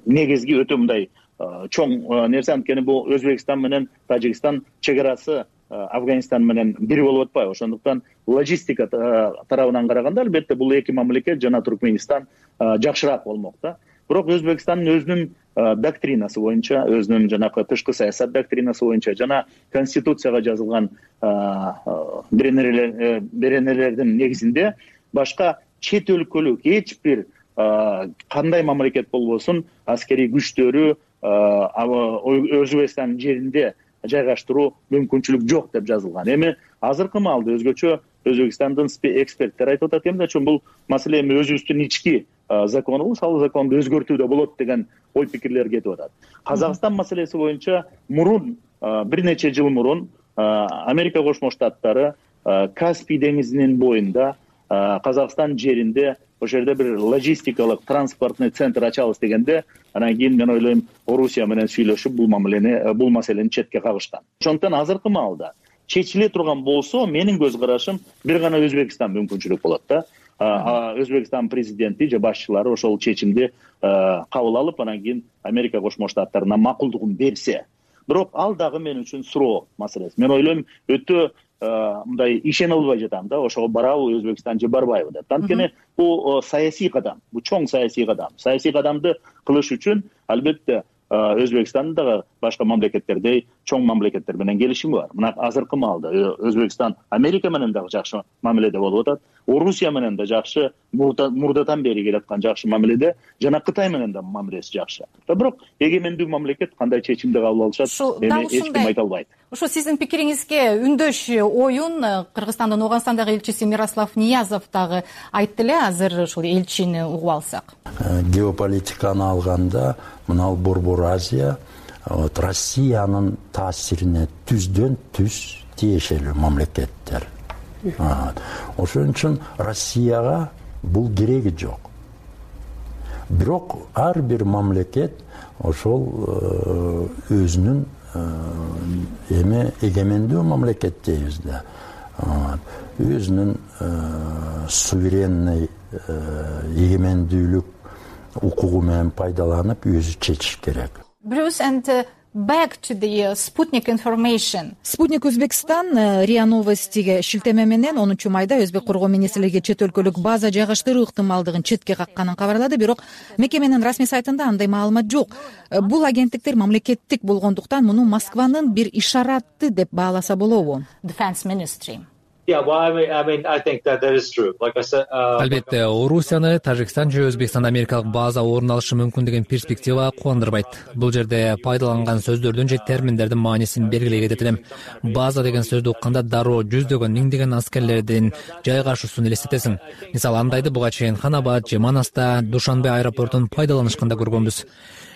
негизги, өтө мындай чоң нерсе. Анткени бул Өзбекстан менен Тажикстан чек арасы Афганистан менен бир болуп атпайбы. Ошондуктан логистика тарабынан караганда албетте бул эки мамлекет жана Туркменистан жакшыраак болмок да. Бирок Өзбекстандын өзүнүн доктринасы боюнча, өзүнүн жанакы тышкы саясат доктринасы боюнча жана конституцияга жазылган беренелердин негизинде башка чет өлкөлүк эч бир кандай мамлекет болбосун аскерий күчтөрү Өзбекстандын жеринде жайгаштыруу мүмкүнчүлүк жок деп жазылган. Эми азыркы маалда өзгөчө Өзбекстандын эксперттер айтып атат, эмне үчүн бул маселе эми өзүбүздүн ички закону, салык законду өзгөртүүдө болот деген ой пикирлер кетип атат. Казакстан маселеси боюнча мурун бир нече жыл мурун Америка Кошмо Штаттары Каспий деңизинин боюнда Казакстан жеринде ошол жерде бир логистикалык транспортный центр ачабыз дегенде, анан кийин мен ойлойм Орусия менен сүйлөшүп бул мамилени бул маселени четке кагышкан. Ошондуктан азыркы маалда чечиле турган болсо, менин көз карашым бир гана Өзбекстан мүмкүнчүлүк болот да. Өзбекстан президенти же башчылары ошол чечимди кабыл алып, анан кийин Америка Кошмо Штаттарына макулдугун берсе. Бирок ал дагы мен үчүн суроо маселеси. Мен ойлойм өтө мындай ишене албай жатам да, ошого барабы Өзбекстан же барбайбы деп. Анткени бул саясий кадам, бул чоң саясий кадам. Саясий кадамды кылыш үчүн албетте Өзбекстандын дагы башка мамлекеттердей чоң мамлекеттер менен келишими бар. Мына азыркы маалда Өзбекстан Америка менен дагы жакшы мамиледе болуп атат. Орусия менен да жакшы, мурдадан бери келаткан жакшы мамиледе, жана Кытай менен да мамилеси жакшы. Бирок эгемендүү мамлекет кандай чечимди кабыл алышат, эми эч ким айта албайт. Ошо сиздин пикириңизге үндөш оюн Кыргызстандын Ооганстандагы элчиси Мирослав Ниязов дагы айтты эле. Азыр ушул элчини угуп алсак. Геополитиканы алганда мына Борбор Азия вот Россиянын таасирине түздөн түз тиешелүү мамлекеттер. Ошон үчүн Россияга бул кереги жок. Бирок ар бир мамлекет ошол өзүнүн эми эгемендүү мамлекет дейбиз да. Өзүнүн суверенный эгемендүүлүк укугу менен пайдаланып өзү чечиш керек. Bruce, and uh, back to the uh, Sputnik information. Спутник Өзбекстан РИА Новостиге шилтеме менен онунчу майда Өзбек коргоо министрлиги чет өлкөлүк база жайгаштыруу ыктымалдыгын четке какканын кабарлады, бирок мекеменин расмий сайтында андай маалымат жок. Бул агенттиктер мамлекеттик болгондуктан муну Москванын бир ишараты деп бааласа болобу? Defense Ministry. Албетте, Орусияны Тажикстан же Өзбекстан Америкалык база орун алышы мүмкүн деген перспектива кубандырбайт. Бул жерде пайдаланган сөздөрдүн же терминдердин маанисин белгилей кетет элем. База деген сөздү укканда дароо жүздөгөн, миңдеген аскерлердин жайгашуусун элестетесиң. Мисалы, андайды буга чейин Ханабад же Манаста, Душанбе аэропортун пайдаланышканда көргөнбүз.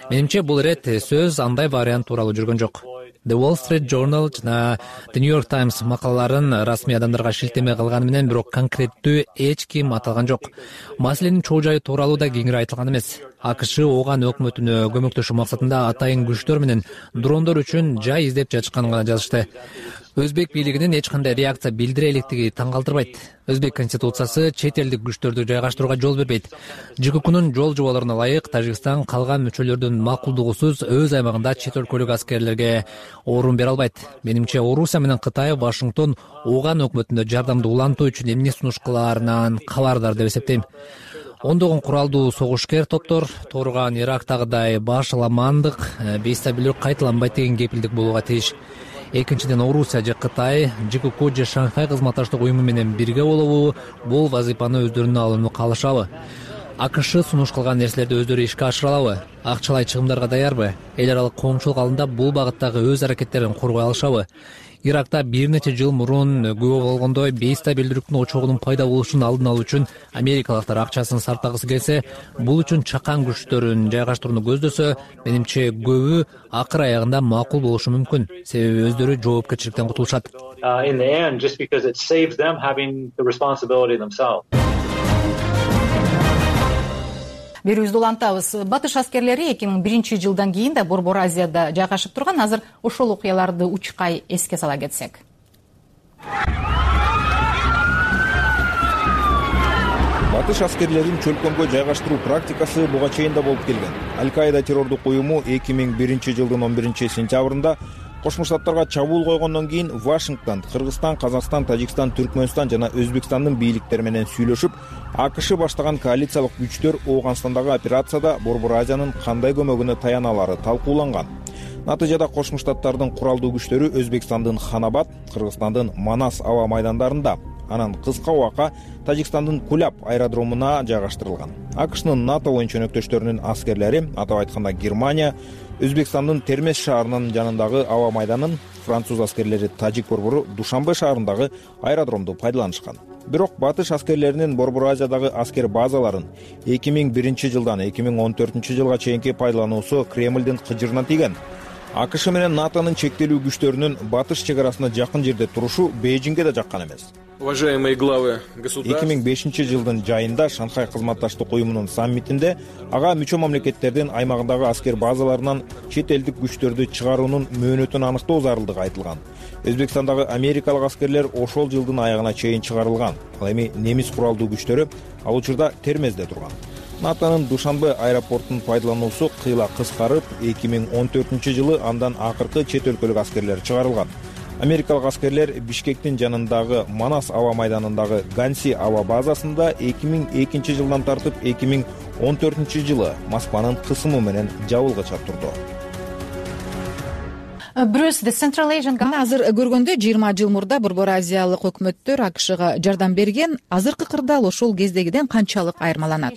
Менимче бул ирет сөз андай вариант тууралуу жүргөн жок. The Wall Street Journal жана The New York Times макалаларын расмий адамдарга шилтеме кылганы менен бирок конкреттүү эч ким аталган жок. Маселенин чоо жайы тууралуу да кеңири айтылган эмес. АКШ Ооган өкмөтүнө көмөктөшүү максатында атайын күчтөр менен дрондор үчүн жай издеп жатышканын гана жазышты. Өзбек бийлигинин эч кандай реакция билдире электиги таң калтырбайт. Өзбек конституциясы чет элдик күчтөрдү жайгаштырууга жол бербейт. ЖККнун жол жоболоруна ылайык Тажикстан калган мүчөлөрдүн макулдугусуз өз аймагында чет өлкөлүк аскерлерге орун бере албайт. Менимче Орусия менен Кытай Вашингтон Ооган өкмөтүнө жардамды улантуу үчүн эмне сунуш кылаарынан кабардар деп эсептейм. Ондогон куралдуу согушкер топтор турган Ирактагыдай башаламандык, бейстабилдик кайталанбайт деген кепилдик болууга тийиш. Экинчиден, Орусия же Кытай ЖКК же Шанхай кызматташтык уюму менен бирге болобу, бул вазыйпаны өздөрүнө алууну каалашабы? АКШ сунуш кылган нерселерди өздөрү ишке ашыра алабы? Акчалай чыгымдарга даярбы? Эл аралык коомчулук алдында бул багыттагы өз аракеттерин коргой алышабы? Иракта бир нече жыл мурун күбө болгондой бейстабилдүүлүктүн очогунун пайда болушун алдын алуу үчүн америкалыктар акчасын сартагысы келсе, бул үчүн чакан күчтөрүн жайгаштырууну көздөсө, менимче көбү акыр аягында макул болушу мүмкүн. Себеби өздөрү жоопкерчиликтен кутулушат. Берүүбүздү улантабыз. Батыш аскерлери эки миң биринчи жылдан кийин да Борбор Азияда жайгашып турган. Азыр ошол окуяларды учкай эске сала кетсек. Батыш аскерлерин чөлкөмгө жайгаштыруу практикасы буга чейин да болуп келген. Аль-Каида террордук уюму эки миң биринчи жылдын он биринчи сентябрында Кошмо Штаттарга чабуул койгондон кийин Вашингтон, Кыргызстан, Казакстан, Тажикстан, Түркмөнстан жана Өзбекстандын бийликтери менен сүйлөшүп, АКШ баштаган коалициялык күчтөр Ооганстандагы операцияда Борбор Азиянын кандай көмөгүнө таяналары талкууланган. Натыйжада Кошмо Штаттардын куралдуу күчтөрү Өзбекстандын Ханабад, Кыргызстандын Манас аба майдандарында, анан кыска убакка Тажикстандын Куляб аэродромуна жайгаштырылган. АКШнын НАТО оюн чөнөктөштөрүнүн аскерлери, атап айтканда Германия, Өзбекстандын Термез шаарынын жанындагы аба майданын француз аскерлери тажик борбору Душанбе шаарындагы аэродромду пайдаланышкан. Бирок батыш аскерлеринин Борбор Азиядагы аскер базаларын эки миң биринчи жылдан эки миң он төртүнчү жылга чейинки пайдалануусу Кремлдин кыжырына тийген. АКШ менен НАТОнун чектелүү күчтөрүнүн батыш чек арасына жакын жерде турушу Бейжиңге да жаккан эмес. Уважаемые главы государств, эки миң бешинчи жылдын жайында Шанхай кызматташтык уюмунун саммитинде ага мүчө мамлекеттердин аймагындагы аскер базаларынан чет элдик күчтөрдү чыгаруунун мөөнөтүн аныктоо зарылдыгы айтылган. Өзбекстандагы америкалык аскерлер ошол жылдын аягына чейин чыгарылган. Ал эми немис куралдуу күчтөрү ал учурда Термезде турган. НАТОнун Душанбе аэропортун пайдалануусу кыйла кыскарып, эки миң он төртүнчү жылы андан акыркы чет өлкөлүк аскерлер чыгарылган. Америкалык аскерлер Бишкектин жанындагы Манас аба майданындагы Ганси аба базасында эки миң экинчи жылдан тартып эки миң он төртүнчү жылы Москванын кысымы менен жабылгыча турду. Азыр көргөндө жыйырма жыл мурда Борбор Азиялык өкмөттөр АКШга жардам берген, азыркы кырдаал ошол кездегиден канчалык айырмаланат?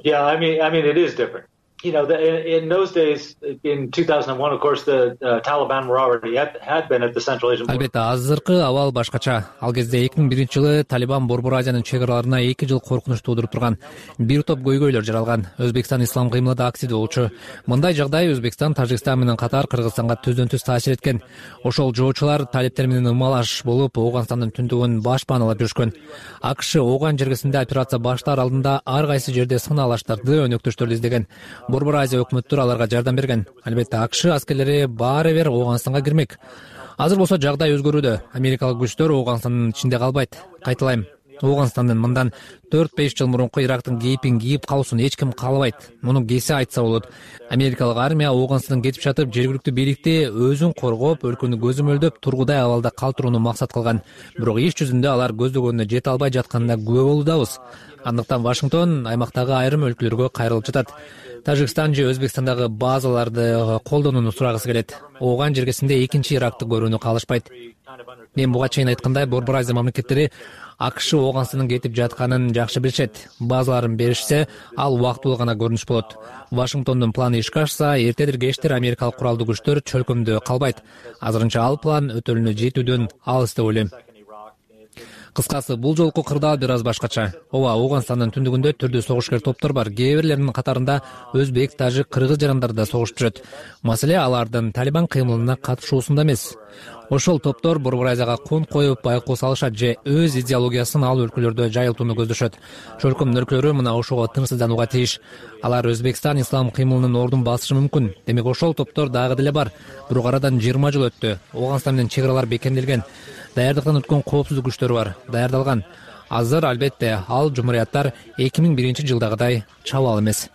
Yeah, I mean, I mean, it is different. You know, the, in, in those days, in two thousand one, of course, the uh, Taliban were already at, had been at the Central Asian border. Албетте, азыркы абал башкача. Ал кезде эки миң биринчи жылы Талибан Борбор Азиянын чек араларына эки жыл коркунуч туудуруп турган. Бир топ көйгөйлөр жаралган. Өзбекстан ислам кыймылында аксиде болчу. Мындай жагдай Өзбекстан, Тажикстан менен катар Кыргызстанга түздөн-түз таасир эткен. Ошол жоочулар талиптер менен ымалаш болуп, Ооганстандын түндүгүн баш паналап жүрүшкөн. АКШ Ооган жергесинде операция баштаар алдында ар кайсы жерде сыналаштарды, өнөктөштөрдү издеген. Борбор Азия өкмөттөр аларга жардам берген. Албетте, АКШ аскерлери баары бир Ооганстанга кирмек. Азыр болсо жагдай өзгөрүүдө. Америкалык күчтөр Ооганстандын ичинде калбайт. Кайталайм. Ооганстандын мындан төрт беш жыл мурунку Ирактын кейпин кийип калуусун эч ким каалабайт. Муну кесе айтса болот. Америкалык армия Ооганстандан кетип жатып, жергиликтүү бийликти өзүн коргоп, өлкөнү көзөмөлдөп, тургудай абалда калтырууну максат кылган. Бирок иш жүзүндө алар көздөгөнүнө жете албай жатканына күбө болуудабыз. Андыктан Вашингтон аймактагы айрым өлкөлөргө кайрылып жатат. Тажикстан же Өзбекстандагы базаларды колдонууну сурагысы келет. Ооган жергесинде экинчи Иракты көрүүнү каалашпайт. Мен буга чейин айткандай, Борбор Азия мамлекеттери АКШ Ооганстандын кетип жатканын жакшы билишет. Базаларын беришсе, ал убактылуу гана көрүнүш болот. Вашингтондун планы ишке ашса, эртедир кечтир америкалык куралдуу күчтөр чөлкөмдө калбайт. Азырынча ал план өтөлүнө жетүүдөн алыс деп ойлойм. Кыскасы, бул жолку кырдаал бир аз башкача. Ооба, Ооганстандын түндүгүндө түрдүү согушкер топтор бар. Кээ бирлеринин катарында өзбек, тажик, кыргыз жарандар да согушуп жүрөт. Маселе алардын Талибан кыймылына катышуусунда эмес. Ошол топтор Борбор Азияга кон коюп байкоо салышат же өз идеологиясын ал өлкөлөрдө жайылтууну көздөшөт. Чөлкөм өлкөлөрү мына ошого тынчсызданууга тийиш. Алар Өзбекстан ислам кыймылынын ордун басышы мүмкүн. Демек ошол топтор дагы деле бар. Бирок арадан жыйырма жыл өттү. Ооганстан менен чек аралар бекемделген. Даярдыктан өткөн коопсуздук күчтөрү бар, даярдалган. Азыр албетте ал жумурияттар эки миң биринчи жылдагыдай чабал эмес.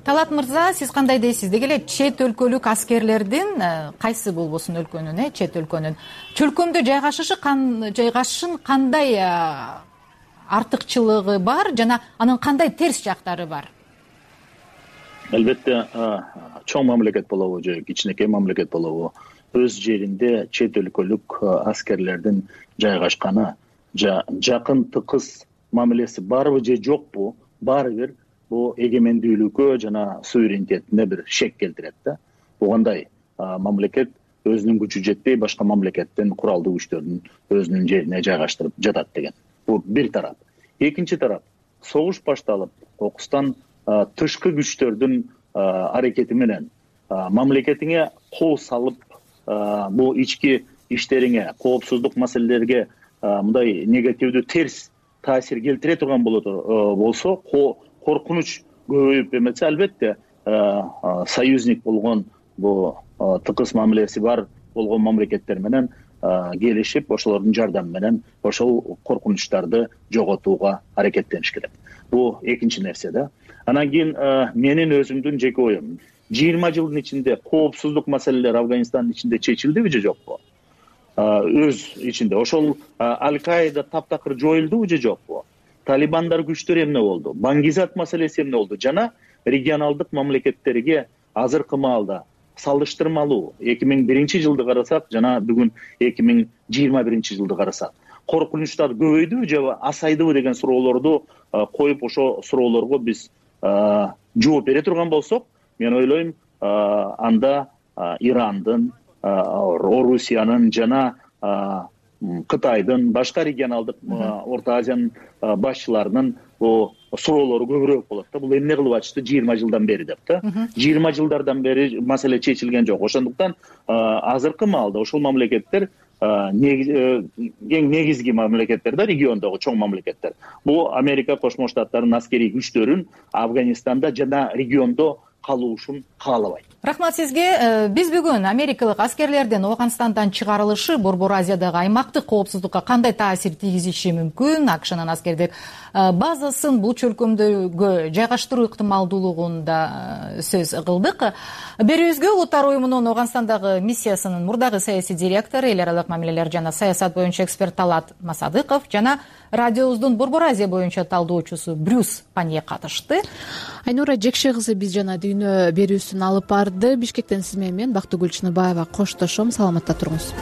Талат мырза, сиз кандай дейсиз? Деги эле чет өлкөлүк аскерлердин кайсы болбосун өлкөнүн, э, чет өлкөнүн чөлкөмдө жайгашышы жайгашышын кандай артыкчылыгы бар жана анын кандай терс жактары бар? Албетте, чоң мамлекет болобу же кичинекей мамлекет болобу, өз жеринде чет өлкөлүк аскерлердин жайгашканы, жакын тыкыз мамилеси барбы же жокпу, баары бир бул эгемендүүлүккө жана суверенитетине бир шек келтирет да. Бугандай мамлекет өзүнүн күчү жетпей башка мамлекеттин куралдуу күчтөрүн өзүнүн жерине жайгаштырып жатат деген. Бул бир тарап. Экинчи тарап, согуш башталып, окустан тышкы күчтөрдүн аракети менен мамлекетиңе кол салып, бул ички иштериңе, коопсуздук маселелерге мындай негативдүү терс таасир келтире турган болсо, коркунуч көбөйүп эмесе, албетте союзник болгон бул тыкыз мамилеси бар болгон мамлекеттер менен келишип, ошолордун жардамы менен ошол коркунучтарды жоготууга аракеттениш керек. Бул экинчи нерсе да. Анан кийин менин өзүмдүн жеке оюм. жыйырма жылдын ичинде коопсуздук маселелер Афганистандын ичинде чечилдиби же жокпу? Өз ичинде. Ошол Аль-Каида таптакыр жоюлдубу же жокпу? Талибандар күчтөр эмне болду? Баңгизат маселеси эмне болду? Жана регионалдык мамлекеттерге азыркы маалда салыштырмалуу эки миң биринчи жылды карасак, жана бүгүн эки миң жыйырма биринчи жылды карасак, коркунучтар көбөйдүбү же азайдыбы деген суроолорду коюп, ошо суроолорго биз жооп бере турган болсок, мен ойлойм анда Ирандын, Орусиянын жана Кытайдын, башка регионалдык Орто Азиянын башчыларынын суроолору көбүрөөк болот да. Бул эмне кылып атышты жыйырма жылдан бери деп да. жыйырма жылдардан бери маселе чечилген жок. Ошондуктан азыркы маалда ушул мамлекеттер эң негизги мамлекеттер да, региондогу чоң мамлекеттер. Бул Америка Кошмо Штаттарынын аскерий күчтөрүн Афганистанда жана региондо калуушун каалабайт. Рахмат сизге. Биз бүгүн америкалык аскерлердин Ооганстандан чыгарылышы Борбор Азиядагы аймактык коопсуздукка кандай таасир тийгизиши мүмкүн, АКШнын аскердик базасын бул чөлкөмдөгө жайгаштыруу ыктымалдуулугунда сөз кылдык. Берүүбүзгө Улуттар уюмунун Ооганстандагы миссиясынын мурдагы саясий директору, эл аралык мамилелер жана саясат боюнча эксперт Талат Масадыков жана радиобуздун Борбор Азия боюнча талдоочусу Брюс Панье катышты. Айнура Жекше кызы биз жана дүйнө берүүсүн алып барды. Бишкектен сиз менен мен Бактыгүл Чыныбаева коштошом. Саламатта туруңуз.